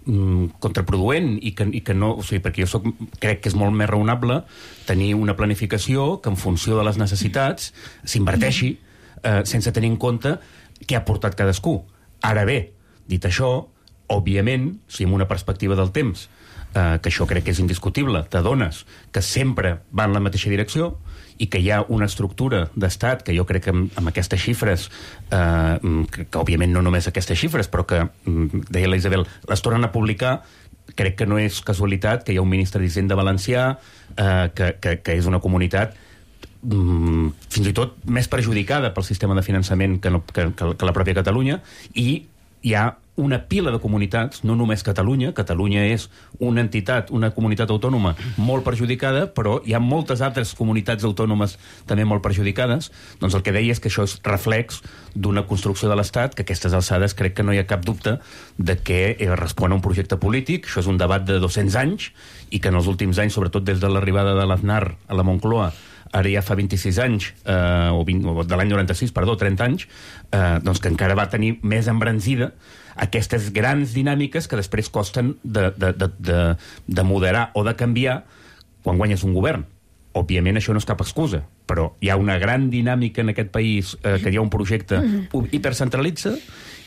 contraproduent i que no... O sigui, perquè jo crec que és molt més raonable tenir una planificació que en funció de les necessitats s'inverteixi sense tenir en compte què ha portat cadascú. Ara bé, dit això, òbviament, si amb una perspectiva del temps, que això crec que és indiscutible, t'adones que sempre va en la mateixa direcció i que hi ha una estructura d'estat que jo crec que amb aquestes xifres, que òbviament no només aquestes xifres, però que, deia la Isabel, les tornen a publicar, crec que no és casualitat que hi ha un ministre d'Hisenda valencià, que és una comunitat fins i tot més perjudicada pel sistema de finançament que la pròpia Catalunya, i hi ha una pila de comunitats, no només Catalunya és una entitat, una comunitat autònoma molt perjudicada, però hi ha moltes altres comunitats autònomes també molt perjudicades. Doncs el que deia és que això és reflex d'una construcció de l'Estat que a aquestes alçades crec que no hi ha cap dubte de que respon a un projecte polític. Això és un debat de 200 anys i que en els últims anys, sobretot des de l'arribada de l'Aznar a la Moncloa, ara ja fa 26 anys, o de l'any 96, perdó, 30 anys, doncs que encara va tenir més embranzida aquestes grans dinàmiques que després costen de moderar o de canviar quan guanyes un govern. Òbviament això no és cap excusa, però hi ha una gran dinàmica en aquest país, que hi ha un projecte hipercentralitza,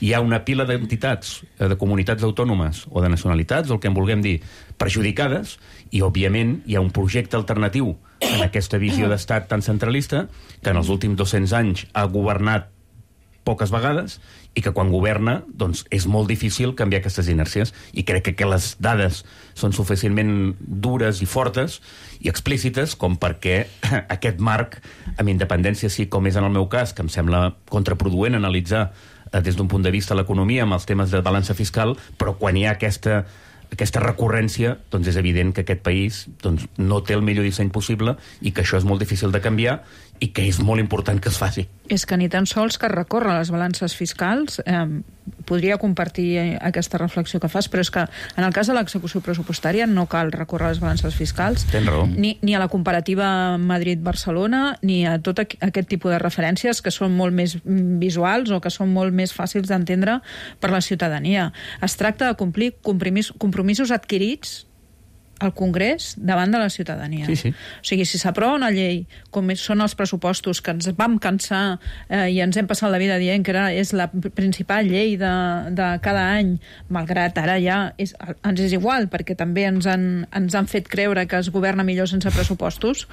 hi ha una pila d'entitats, de comunitats autònomes o de nacionalitats, o el que en vulguem dir, perjudicades, i òbviament hi ha un projecte alternatiu en aquesta visió d'estat tan centralista que en els últims 200 anys ha governat poques vegades i que quan governa doncs és molt difícil canviar aquestes inèrcies, i crec que les dades són suficientment dures i fortes i explícites com perquè aquest marc, amb independència sí, com és en el meu cas, que em sembla contraproduent analitzar des d'un punt de vista l'economia amb els temes de balança fiscal, però quan hi ha aquesta recurrència, doncs és evident que aquest país no té el millor disseny possible i que això és molt difícil de canviar i que és molt important que es faci. És que ni tan sols que recorre les balances fiscals, podria compartir aquesta reflexió que fas, però és que en el cas de l'execució pressupostària no cal recórrer les balances fiscals, ni a la comparativa Madrid-Barcelona, ni a tot aquest tipus de referències que són molt més visuals o que són molt més fàcils d'entendre per la ciutadania. Es tracta de complir compromisos adquirits al Congrés davant de la ciutadania. Sí. O sigui, si s'aprova una llei, com són els pressupostos, que ens vam cansar i ens hem passat la vida dient que és la principal llei de cada any, malgrat ara ja ens és igual, perquè també ens han fet creure que es governa millor sense pressupostos,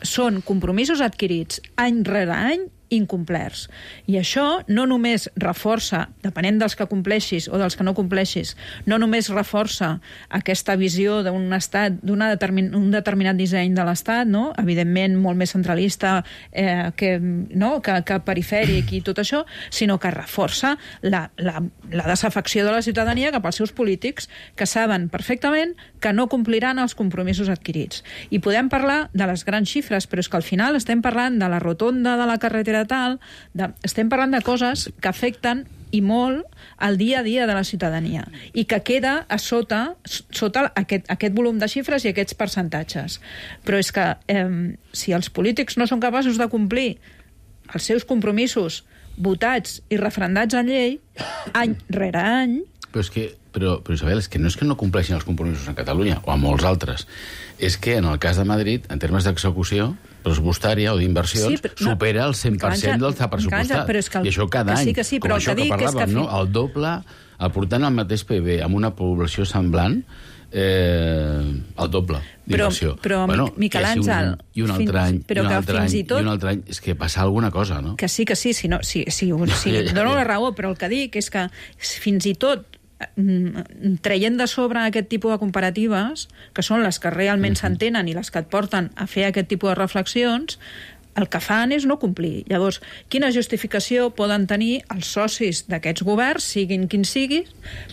són compromisos adquirits any rere any incomplerts. I això no només reforça, depenent dels que compleixis o dels que no compleixis, no només reforça aquesta visió d'un estat, un determinat disseny de l'estat, no? Evidentment molt més centralista que perifèric i tot això, sinó que reforça la desafecció de la ciutadania cap als seus polítics, que saben perfectament que no compliran els compromisos adquirits. I podem parlar de les grans xifres, però és que al final estem parlant de la rotonda de la carretera tal, estem parlant de coses que afecten i molt el dia a dia de la ciutadania i que queda a sota aquest volum de xifres i aquests percentatges. Però és que si els polítics no són capaços de complir els seus compromisos votats i referendats en llei, any rere any... Però Isabel, és que no és que no compleixin els compromisos a Catalunya o a molts altres, és que en el cas de Madrid, en termes d'execució pressupostària o d'inversions, supera el 100% del que ha pressupostat. I això cada any, com això que parlàvem, no? El doble, aportant el mateix PIB amb una població semblant, el doble d'inversió. Però Miquel Àngel... I un altre any, i un altre any, és que passa alguna cosa, no? Que sí, dono la raó, però el que dic és que fins i tot traient de sobre aquest tipus de comparatives, que són les que realment s'entenen i les que et porten a fer aquest tipus de reflexions, el que fan és no complir. Llavors, quina justificació poden tenir els socis d'aquests governs, siguin quins siguin,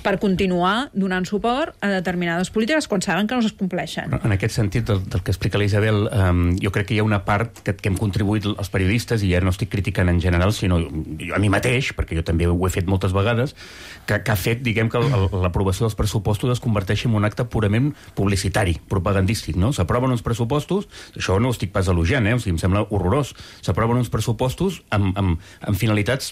per continuar donant suport a determinades polítiques quan saben que no es compleixen? En aquest sentit, del que explica l'Isabel, jo crec que hi ha una part que hem contribuït els periodistes, i ja no estic criticant en general, sinó a mi mateix, perquè jo també ho he fet moltes vegades, que ha fet, diguem, que l'aprovació dels pressupostos es converteixi en un acte purament publicitari, propagandístic, no? S'aproven uns pressupostos, això no ho estic pas elogiant, o sigui, em sembla horrorós. S'aproven uns pressupostos amb finalitats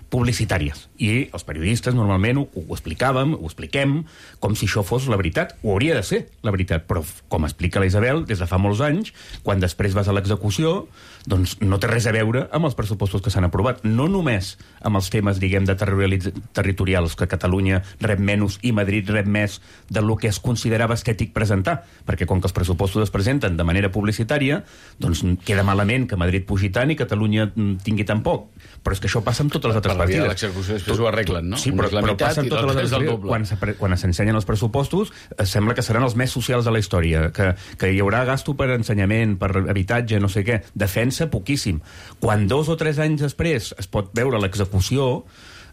publicitàries. I els periodistes normalment ho expliquem com si això fos la veritat. Ho hauria de ser la veritat, però com explica la Isabel, des de fa molts anys, quan després vas a l'execució, doncs no té res a veure amb els pressupostos que s'han aprovat. No només amb els temes, diguem, de territorials, que Catalunya rep menys i Madrid rep més del que es considerava estètic presentar, perquè com que els pressupostos es presenten de manera publicitària, doncs queda malament que Madrid pugi tant i Catalunya tingui tan poc. Però és que això passa amb totes les altres partides. Per la via de l'execució després ho arreglen, no? Sí, però passa amb totes les altres partides. Quan s'ensenyen els pressupostos, sembla que seran els més socials de la història, que hi haurà gasto per ensenyament, per habitatge, no sé què. Defensa, poquíssim. Quan 2 o 3 anys després es pot veure l'execució,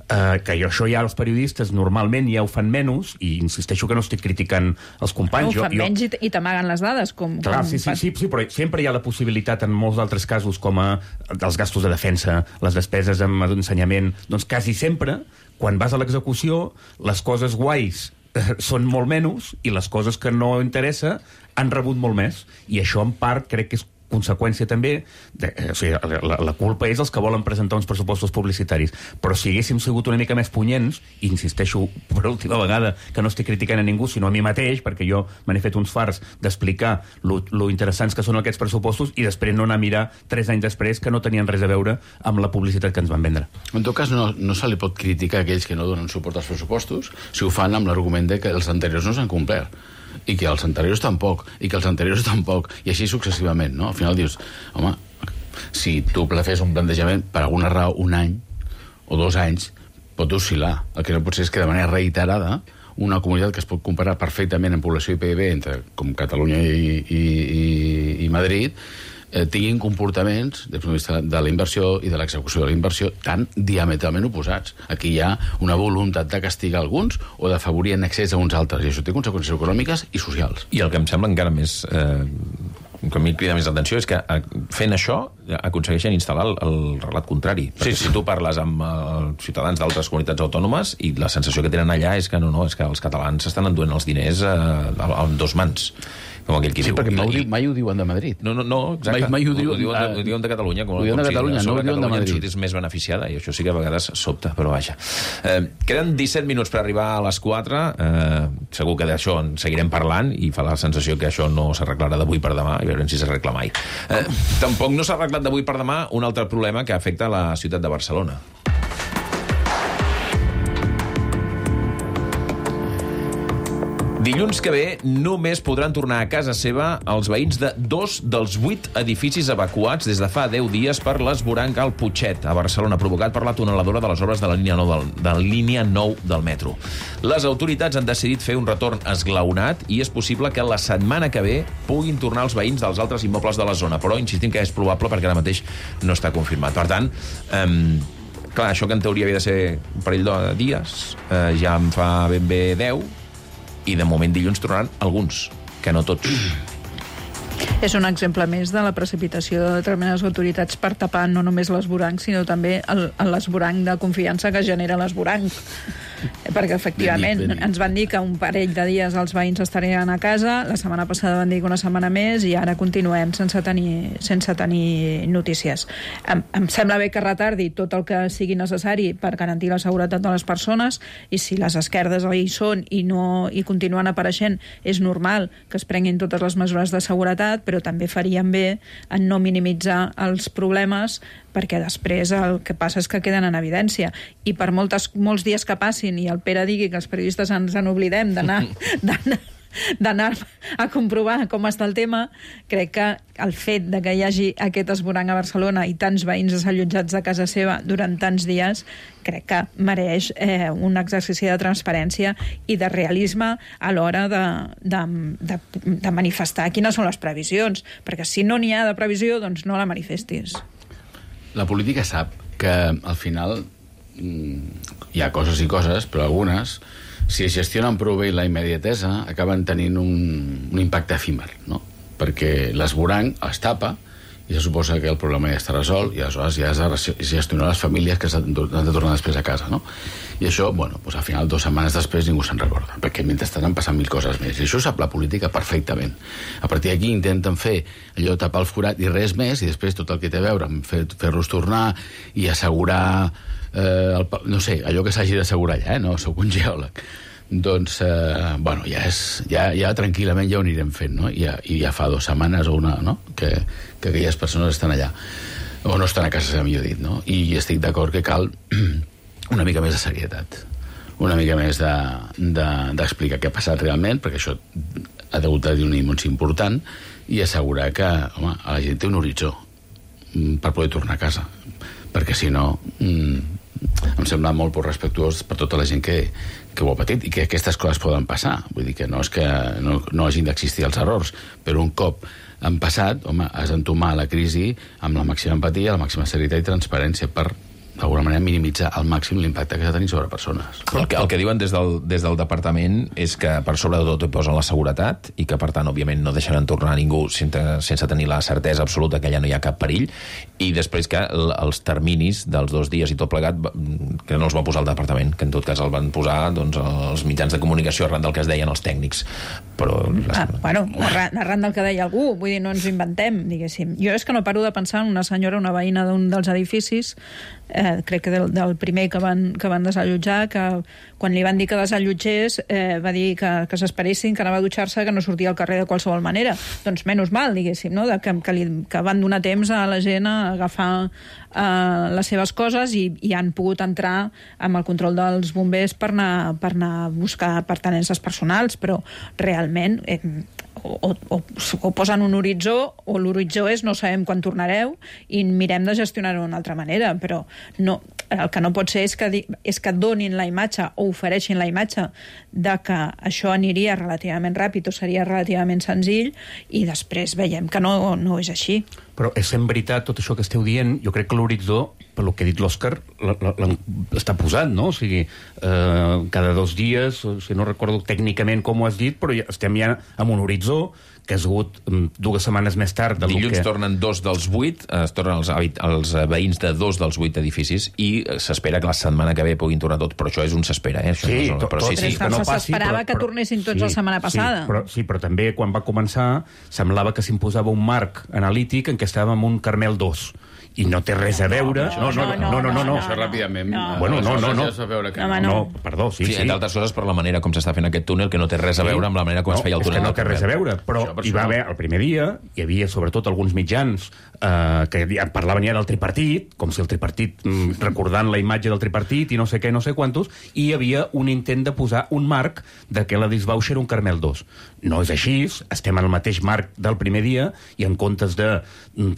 que això ja els periodistes normalment ja ho fan menys, i insisteixo que no estic criticant els companys. Ho fan menys i t'amaguen les dades. Clar, sí, però sempre hi ha la possibilitat en molts altres casos, com els gastos de defensa, les despeses en ensenyament, doncs quasi sempre, quan vas a l'execució, les coses guais són molt menys i les coses que no interessa han rebut molt més. I això, en part, crec que és conseqüència també, o sigui, la culpa és els que volen presentar uns pressupostos publicitaris, però si haguéssim sigut una mica més punyents, i insisteixo per última vegada que no estic criticant a ningú, sinó a mi mateix, perquè jo me n'he fet uns farts d'explicar lo interessants que són aquests pressupostos i després no anar a mirar 3 anys després que no tenien res a veure amb la publicitat que ens van vendre. En tot cas, no se li pot criticar a aquells que no donen suport als pressupostos si ho fan amb l'argument de que els anteriors no s'han complert, i que els anteriors tampoc, i que els anteriors tampoc, i així successivament, no? Al final dius, home, si tu fes un plantejament per alguna raó un any o 2 anys, pot oscil·lar. El que no pot ser és que de manera reiterada una comunitat que es pot comparar perfectament en població i PIB entre com Catalunya i Madrid tinguin comportaments des del punt de vista de la inversió i de l'execució de la inversió tan diametralment oposats. Aquí hi ha una voluntat de castigar alguns o d'afavorir en excés a uns altres, i això té conseqüències econòmiques i socials. I el que em sembla encara més... que a mi crida més l'atenció és que fent això aconsegueixen instal·lar el relat contrari. Perquè si tu parles amb ciutadans d'altres comunitats autònomes i la sensació que tenen allà és que és que els catalans s'estan enduent els diners amb 2 mans. Com aquell qui diu. Perquè mai ho diuen de Madrid. No, exacte. Mai ho diuen de Catalunya. Ho diuen de Catalunya, no ho diuen de Madrid. És més beneficiada, i això sí que a vegades sobta, però vaja. Queden 17 minuts per arribar a les 4. Segur que d'això en seguirem parlant i fa la sensació que això no s'arreglarà d'avui per demà, i veurem si s'arregla mai. Tampoc no s'ha arreglat d'avui per demà un altre problema que afecta la ciutat de Barcelona. Dilluns que ve només podran tornar a casa seva els veïns de 2 dels 8 edificis evacuats des de fa 10 dies per l'esvoranc al Putxet, a Barcelona, provocat per la tuneladora de les obres de la línia 9 del metro. Les autoritats han decidit fer un retorn esglaonat i és possible que la setmana que ve puguin tornar els veïns dels altres immobles de la zona, però insistim que és probable perquè ara mateix no està confirmat. Per tant, clar, això que en teoria havia de ser un parell de dies, ja en fa ben bé 10, i de moment dilluns tornaran alguns, que no tots. És un exemple més de la precipitació de determinades autoritats per tapar no només l'esvoranc, sinó també l'esvoranc de confiança que genera l'esvoranc. Perquè, efectivament, ens van dir que un parell de dies els veïns estarien a casa, la setmana passada van dir que una setmana més, i ara continuem sense tenir notícies. Em sembla bé que retardi tot el que sigui necessari per garantir la seguretat de les persones, i si les esquerdes hi són i continuen apareixent, és normal que es prenguin totes les mesures de seguretat, però també farien bé en no minimitzar els problemes, perquè després el que passa és que queden en evidència. I per molts dies que passin i el Pere digui que els periodistes ens en oblidem d'anar a comprovar com està el tema, crec que el fet de que hi hagi aquest esvoranc a Barcelona i tants veïns desallotjats de casa seva durant tants dies, crec que mereix un exercici de transparència i de realisme a l'hora de manifestar quines són les previsions, perquè si no n'hi ha de previsió, doncs no la manifestis. La política sap que al final hi ha coses i coses, però algunes, si es gestionen prou bé la immediatesa, acaben tenint un impacte efímer, no? Perquè l'esvoranc es tapa i se suposa que el problema ja està resolt i aleshores ja has de gestionar les famílies que han de tornar després a casa, no? I això, bueno, doncs al final 2 setmanes després ningú se'n recorda, perquè mentrestant han passat 1000 coses més, i això ho sap la política perfectament. A partir d'aquí intenten fer allò, tapar el forat i res més, i després tot el que té a veure amb fer-los tornar i assegurar no sé, allò que s'hagi d'assegurar allà, no? Soc un geòleg. Doncs, bueno, ja tranquil·lament ja ho anirem fent, no? I ja fa 2 setmanes o una, no? Que aquelles persones estan allà, o no estan a casa, millor dit, no? I estic d'acord que cal una mica més de serietat, una mica més d'explicar què ha passat realment, perquè això ha hagut de dir un anunci important, i assegurar que, home, la gent té un horitzó per poder tornar a casa, perquè si no em sembla molt poc respectuós per tota la gent que ho ha patit i que aquestes coses poden passar. Vull dir que no és que no hagin d'existir els errors, però un cop han passat, home, has d'entomar la crisi amb la màxima empatia, la màxima serietat i transparència per, d'alguna manera, minimitzar al màxim l'impacte que s'ha tenir sobre persones. El que diuen des del departament és que per sobre de tot hi posen la seguretat i que, per tant, òbviament, no deixaran tornar a ningú sense tenir la certesa absoluta que allà no hi ha cap perill, i després que els terminis dels 2 dies i tot plegat que no els va posar el departament, que en tot cas el van posar els mitjans de comunicació arran del que es deien els tècnics. Però bueno, arran del que deia algú, vull dir, no ens inventem, diguéssim. Jo és que no paro de pensar en una senyora, una veïna d'un dels edificis, crec que del primer que van desallotjar, que quan li van dir que desallotgés va dir que s'esperessin, que anava a dutxar-se, que no sortia al carrer de qualsevol manera. Doncs menys mal, diguéssim, no? Que van donar temps a la gent a agafar les seves coses i han pogut entrar amb el control dels bombers per anar a buscar pertinences personals, però realment o posen un horitzó, o l'horitzó és no sabem quan tornareu i mirem de gestionar-ho d'una altra manera, però no, el que no pot ser és que donin la imatge o ofereixin la imatge de que això aniria relativament ràpid o seria relativament senzill i després veiem que no és així. Però és en veritat tot això que esteu dient, jo crec que l'horitzó, per lo que ha dit l'Òscar, està posat, no? O sigui, cada 2 dies, si no recordo tècnicament com ho has dit, però ja estem ja amb un horitzó que ha sigut 2 setmanes més tard del Dilluns tornen 2 dels 8, es tornen els veïns de 2 dels 8 edificis i s'espera que la setmana que ve puguin tornar tots, però això és un s'espera, Això sí, no, però sí, que no passi, s'esperava que tornessin tots la setmana passada. Sí, però també quan va començar semblava que s'imposava un marc analític en què estàvem en un Carmel 2 i no té res a veure... No. Això ràpidament... No, perdó, sí. Entre altres coses per la manera com s'està fent aquest túnel, que no té res a veure amb la manera com es feia el túnel. No té res a veure, però hi va haver, el primer dia, hi havia sobretot alguns mitjans que parlaven ja del tripartit, com si el tripartit, recordant la imatge del tripartit i no sé què, no sé quantos, i hi havia un intent de posar un marc de que la Disbauxa era un Carmel 2. No és així, estem en el mateix marc del primer dia i en comptes de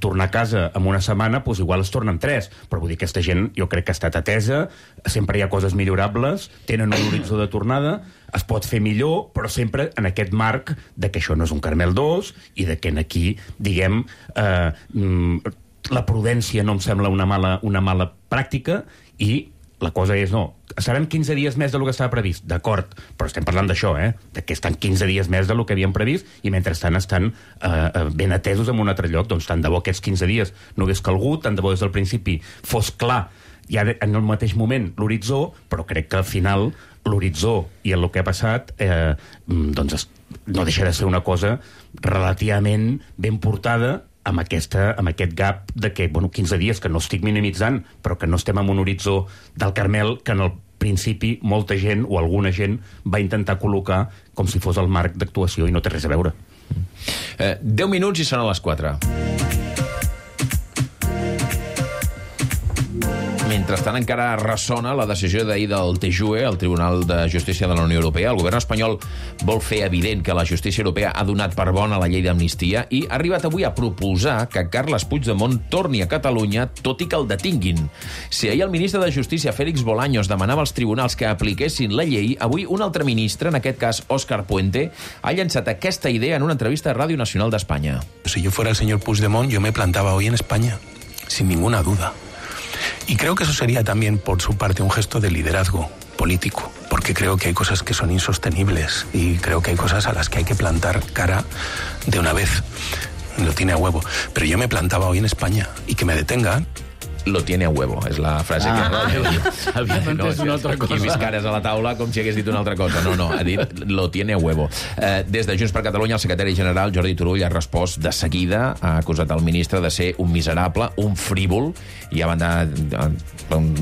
tornar a casa en una setmana, doncs igual es tornen 3, però vull dir que aquesta gent jo crec que ha estat atesa, sempre hi ha coses millorables, tenen un horitzó de tornada, es pot fer millor, però sempre en aquest marc de que això no és un Carmel 2 i de que aquí, diguem, la prudència no em sembla una mala pràctica i la cosa és, no, seran 15 dies més del que estava previst, d'acord, però estem parlant d'això, de que estan 15 dies més del que havien previst i mentrestant estan ben atesos en un altre lloc. Doncs tant de bo aquests 15 dies no hagués calgut, tant de bo des del principi fos clar ja en el mateix moment l'horitzó, però crec que al final l'horitzó i el que ha passat doncs no deixa de ser una cosa relativament ben portada amb aquest gap de que, 15 dies, que no estic minimitzant, però que no estem en un horitzó del Carmel que en el principi molta gent o alguna gent va intentar col·locar com si fos el marc d'actuació i no té res a veure. 10 minuts i són a les 4. Mentrestant encara ressona la decisió d'ahir del TJUE, el Tribunal de Justícia de la Unió Europea. El govern espanyol vol fer evident que la justícia europea ha donat per bona la llei d'amnistia i ha arribat avui a proposar que Carles Puigdemont torni a Catalunya, tot i que el detinguin. Si ahir el ministre de Justícia, Félix Bolaños, demanava als tribunals que apliquessin la llei, avui un altre ministre, en aquest cas Òscar Puente, ha llançat aquesta idea en una entrevista a Ràdio Nacional d'Espanya. Si yo fuera el señor Puigdemont, yo me plantaba hoy en España, sin ninguna duda. Y creo que eso sería también, por su parte, un gesto de liderazgo político, porque creo que hay cosas que son insostenibles y creo que hay cosas a las que hay que plantar cara de una vez. Lo tiene a huevo. Pero yo me plantaba hoy en España y que me detengan. Lo tiene a huevo, és la frase que... Havia entès una altra cosa. I vist cares a la taula com si hagués dit una altra cosa. No, ha dit lo tiene a huevo. Des de Junts per Catalunya, el secretari general Jordi Turull ha respost de seguida, ha acusat el ministre de ser un miserable, un frívol, i ha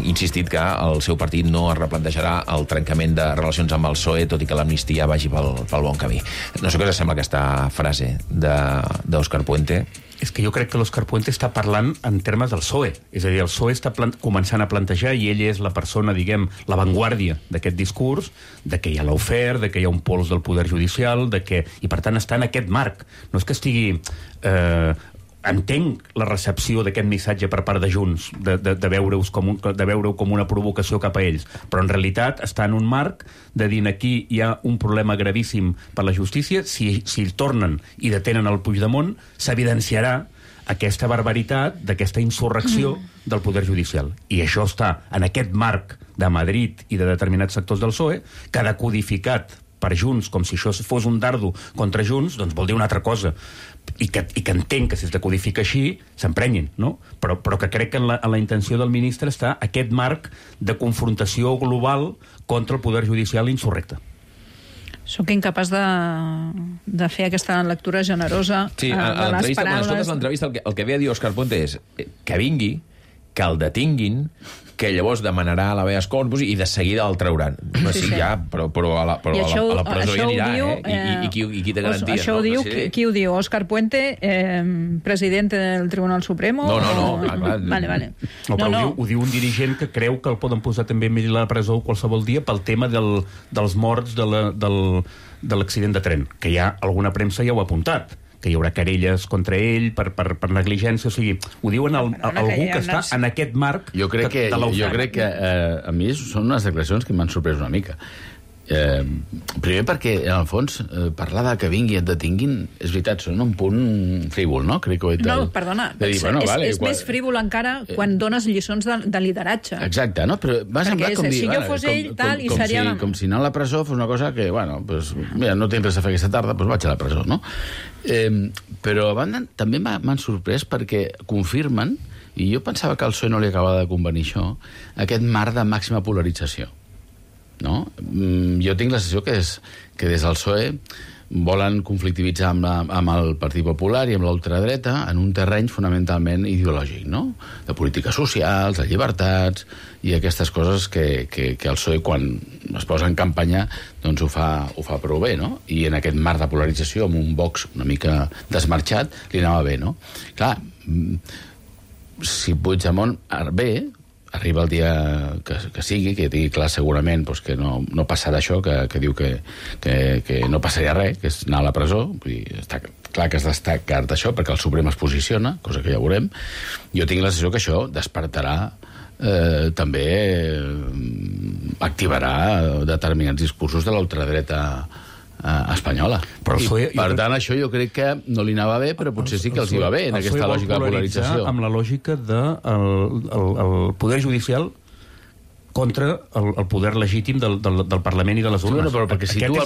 insistit que el seu partit no es replantejarà el trencament de relacions amb el PSOE, tot i que l'amnistia vagi pel bon camí. No sé què us sembla aquesta frase d'Òscar Puente. És que jo crec que l'Òscar Puente està parlant en termes del PSOE. És a dir, el PSOE està començant a plantejar, i ell és la persona, diguem, l'avantguàrdia d'aquest discurs, de que hi ha l'oferta, de que hi ha un pols del poder judicial, i per tant està en aquest marc. No és que estigui... Entenc la recepció d'aquest missatge per part de Junts, de veure-ho com una provocació cap a ells, però en realitat està en un marc de dir aquí hi ha un problema gravíssim per la justícia, si tornen i detenen el Puigdemont, s'evidenciarà aquesta barbaritat d'aquesta insurrecció del poder judicial. I això està en aquest marc de Madrid i de determinats sectors del PSOE, que decodificat per Junts, com si això fos un dardo contra Junts, doncs vol dir una altra cosa. I que entenc que si es decodifica així s'emprenyin, no? Però que crec que en la intenció del ministre està aquest marc de confrontació global contra el poder judicial insurrecte. Soc incapaç de fer aquesta lectura generosa de les paraules. Quan escoltes l'entrevista, el que ve a dir Òscar Puente és que vingui, que el detinguin, que llavors demanarà a l'habeas corpus i de seguida el trauran. Sí. Ja, però a la presó ja anirà, I qui té garanties? Això ho diu, qui ho diu? Òscar Puente, president del Tribunal Supremo? No, clar. Vale. Ho diu un dirigent que creu que el poden posar també a la presó qualsevol dia pel tema dels morts de l'accident de tren, que ja alguna premsa ja ho ha apuntat, que hi haurà querelles contra ell per negligència, o sigui, ho diuen algú que està en aquest marc jo crec que a mi són unes declaracions que m'han sorprès una mica. Primer perquè, en el fons, parlar de que vingui i et detinguin, és veritat, són un punt frívol, no? Crec que ho he dit. No, perdona, és més frívol encara quan dones lliçons de lideratge. Exacte, no? Però m'ha semblat com dir... Si jo fos ell, tal, i seria... Com si anar a la presó fos una cosa que, mira, no tens res a fer aquesta tarda, doncs vaig a la presó, no? Però a banda també m'han sorprès perquè confirmen, i jo pensava que al PSOE no li acabava de convenir això, aquest marc de màxima polarització. No? Jo tinc la sensació que des del PSOE volen conflictivitzar amb el Partit Popular i amb l'ultradreta en un terreny fonamentalment ideològic, no? De polítiques socials, de llibertats i aquestes coses que el PSOE, quan es posa en campanya, doncs ho fa prou bé, no? I en aquest marc de polarització, amb un Vox una mica desmarxat, li anava bé, no? Clar, si Puigdemont arriba el dia que sigui, que tingui clar segurament que no passarà això, que diu que no passaria res, que és anar a la presó. Vull dir, està clar que es destaca d'això perquè el Suprem es posiciona, cosa que ja veurem. Jo tinc la sensació que això despertarà també activarà determinats discursos de l'ultradreta espanyola. Per tant, això jo crec que no li anava bé, però potser sí que els hi va bé en aquesta lògica de polarització. Amb la lògica del poder judicial contra el poder legítim del Parlament i de les urnes. Però perquè situa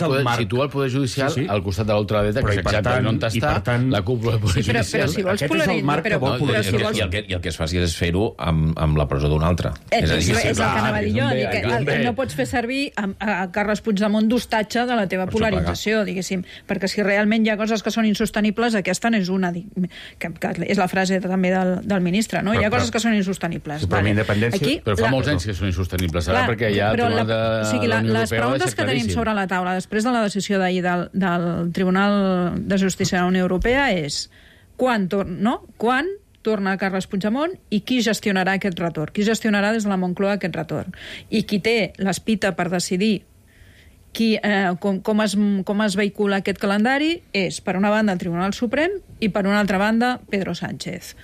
el poder judicial al costat de l'ultradreta, que és exactament on està la cúpula del poder judicial. Però si vols polaritzar... I el que es faci és fer-ho amb la presó d'un altre. És el que anava a dir jo. No pots fer servir a Carles Puigdemont d'hostatge de la teva polarització, diguéssim. Perquè si realment hi ha coses que són insostenibles, aquesta n'és una, que és la frase també del ministre, no? Hi ha coses que són insostenibles. Però fa molts anys que són insostenibles, perquè ja el Tribunal de la Unió Europea les preguntes que tenim sobre la taula després de la decisió d'ahir del Tribunal de Justícia de la Unió Europea és quan torna Carles Puigdemont i qui gestionarà aquest retorn, qui gestionarà des de la Moncloa aquest retorn, i qui té l'espita per decidir com es vehicula aquest calendari és, per una banda, el Tribunal Suprem i, per una altra banda, Pedro Sánchez.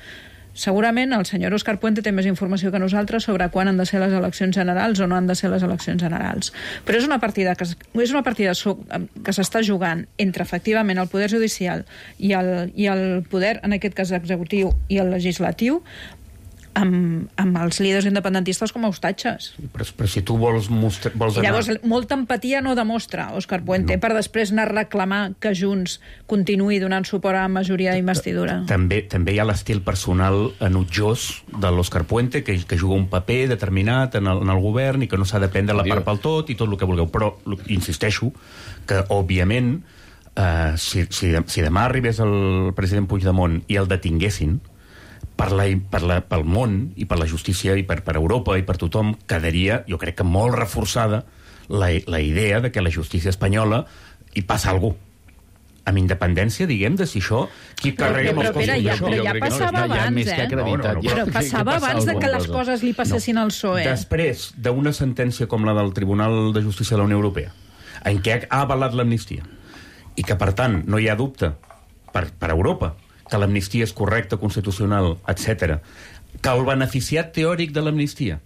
Segurament el senyor Òscar Puente té més informació que nosaltres sobre quan han de ser les eleccions generals o no han de ser les eleccions generals. Però és una partida que s'està jugant entre, efectivament, el poder judicial i el poder, en aquest cas executiu, i el legislatiu, amb els líders independentistes com a hostatges. Però si tu vols I llavors, molta empatia no demostra Òscar Puente per després anar a reclamar que Junts continuï donant suport a la majoria d'investidura. També hi ha l'estil personal enutjós de l'Òscar Puente, que juga un paper determinat en el govern i que no s'ha de prendre la part pel tot i tot el que vulgueu. Però insisteixo que, òbviament, si demà arribés el president Puigdemont i el detinguessin, pel món i per la justícia i per Europa i per tothom quedaria, jo crec que molt reforçada la idea de que la justícia espanyola hi passa alguna cosa. Amb independència, diguem, de si això... Qui carreguem els costos d'això? Però ja passava abans, Però passava abans de que les coses li passessin al PSOE. Després d'una sentència com la del Tribunal de Justícia de la Unió Europea, en què ha avalat l'amnistia, i que, per tant, no hi ha dubte per Europa que l'amnistia és correcta, constitucional, etc., que el beneficiat teòric de l'amnistia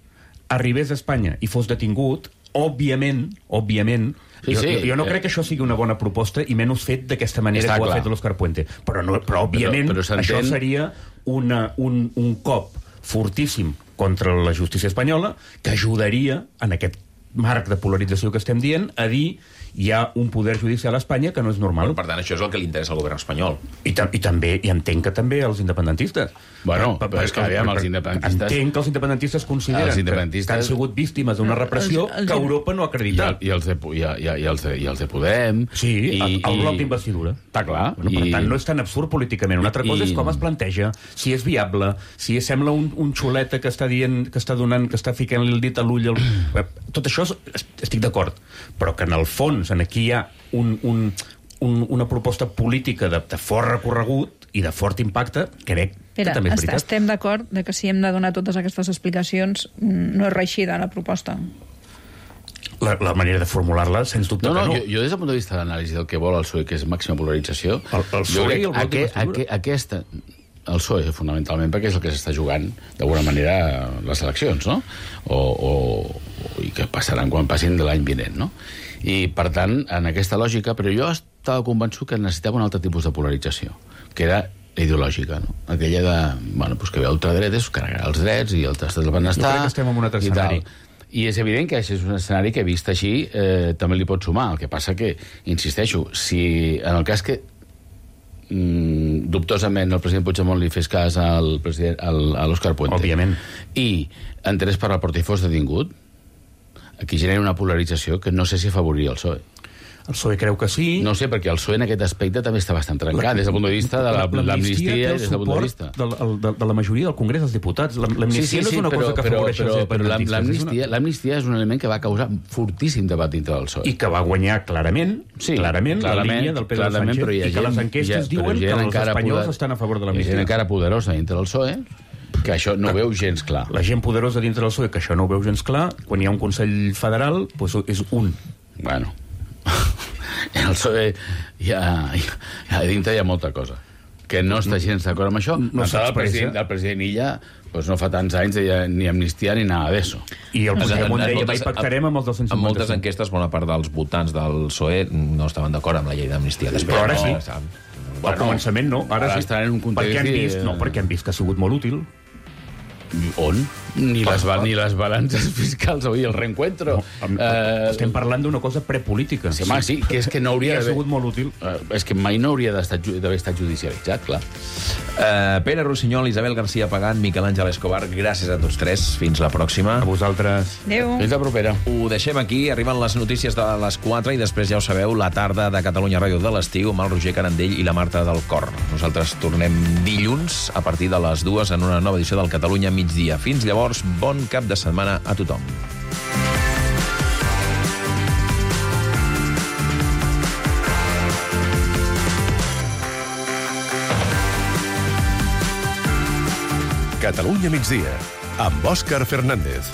arribés a Espanya i fos detingut, òbviament, jo no crec que això sigui una bona proposta i menys fet d'aquesta manera que ho ha fet l'Òscar Puente. Però òbviament, això seria un cop fortíssim contra la justícia espanyola que ajudaria, en aquest marc de polarització que estem dient, a dir hi ha un poder judicial a Espanya que no és normal. Per tant, això és el que li interessa al govern espanyol. I també, i entenc que també als independentistes. Bueno, però és que aviam, els independentistes... Entenc que els independentistes consideren que han sigut víctimes d'una repressió que Europa no ha acreditat. I els de Podem... Sí, el bloc d'investidura. Està clar. Per tant, no és tan absurd políticament. Una altra cosa és com es planteja, si és viable, si sembla un xuleta que està dient, que està ficant el dit a l'ull... Tot això estic d'acord, però que en el fons aquí hi ha una proposta política de fort recorregut i de fort impacte, crec que també és veritat. Estem d'acord que si hem de donar totes aquestes explicacions no és reeixida la proposta. La manera de formular-la, sens dubte que no. Jo des del punt de vista de l'anàlisi del que vol el PSOE, que és màxima polarització, el PSOE i el bloc d'investidura. El PSOE, fonamentalment, perquè és el que s'està jugant, d'alguna manera, les eleccions, no? I que passaran quan passin de l'any vinent, no? I, per tant, en aquesta lògica, però jo estava convençut que necessitava un altre tipus de polarització, que era ideològica, no? Aquella de, que ve ultradretes, carregarà els drets i el tastat del benestar... Jo crec que estem en un altre escenari. I és evident que això és un escenari que, vist així, també li pot sumar. El que passa que, insisteixo, si en el cas que dubtosament el president Puigdemont li fes cas a l'Òscar Puente, òbviament, i entrés per la porta i fos detingut, aquí genera una polarització que no sé si afavoriria el PSOE. El PSOE creu que sí. No sé, perquè el PSOE en aquest aspecte també està bastant trencat, des del punt de vista de l'amnistia i des del punt de vista de la majoria del Congrés dels Diputats. L'amnistia no és una cosa que afavoreix els independentistes. L'amnistia és un element que va causar fortíssim debat dintre del PSOE. I que va guanyar clarament la línia del Pedro Sánchez, i que les enquestes diuen que els espanyols estan a favor de l'amnistia. Hi ha gent encara poderosa dintre del PSOE que això no veu gens clar. La gent poderosa dintre del PSOE que això no ho veu gens clar, quan hi ha un Consell Federal, és un. Bueno... En el PSOE dintre hi ha molta cosa que no està gens d'acord amb això. El president Illa no fa tants anys ni amnistia ni nada d'això. I el Puigdemont deia que pactarem amb els 255. En moltes enquestes, bona part dels votants del PSOE no estaven d'acord amb la llei d'amnistia. Però ara sí. Al començament no, ara sí. Perquè han vist que ha sigut molt útil. On? Ni les balances fiscals, oi, el reencuentro. Estem parlant d'una cosa prepolítica. Sí, home, sí, que és que no hauria ha d'haver... sigut molt útil. És que mai no hauria d'haver estat judicialitzat, clar. Pere Rossinyol, Isabel García Pagant, Miquel Àngel Escobar, gràcies a tots tres. Fins la pròxima. A vosaltres. Adéu. Fins la propera. Ho deixem aquí, arriben les notícies de les 4 i després ja ho sabeu, la tarda de Catalunya Ràdio de l'estiu amb el Roger Carandell i la Marta del Cor. Nosaltres tornem dilluns a partir de les 2 en una nova edició del Catalunya Migdia. Fins llavors, bon cap de setmana a tothom. Catalunya migdia, amb Òscar Fernández.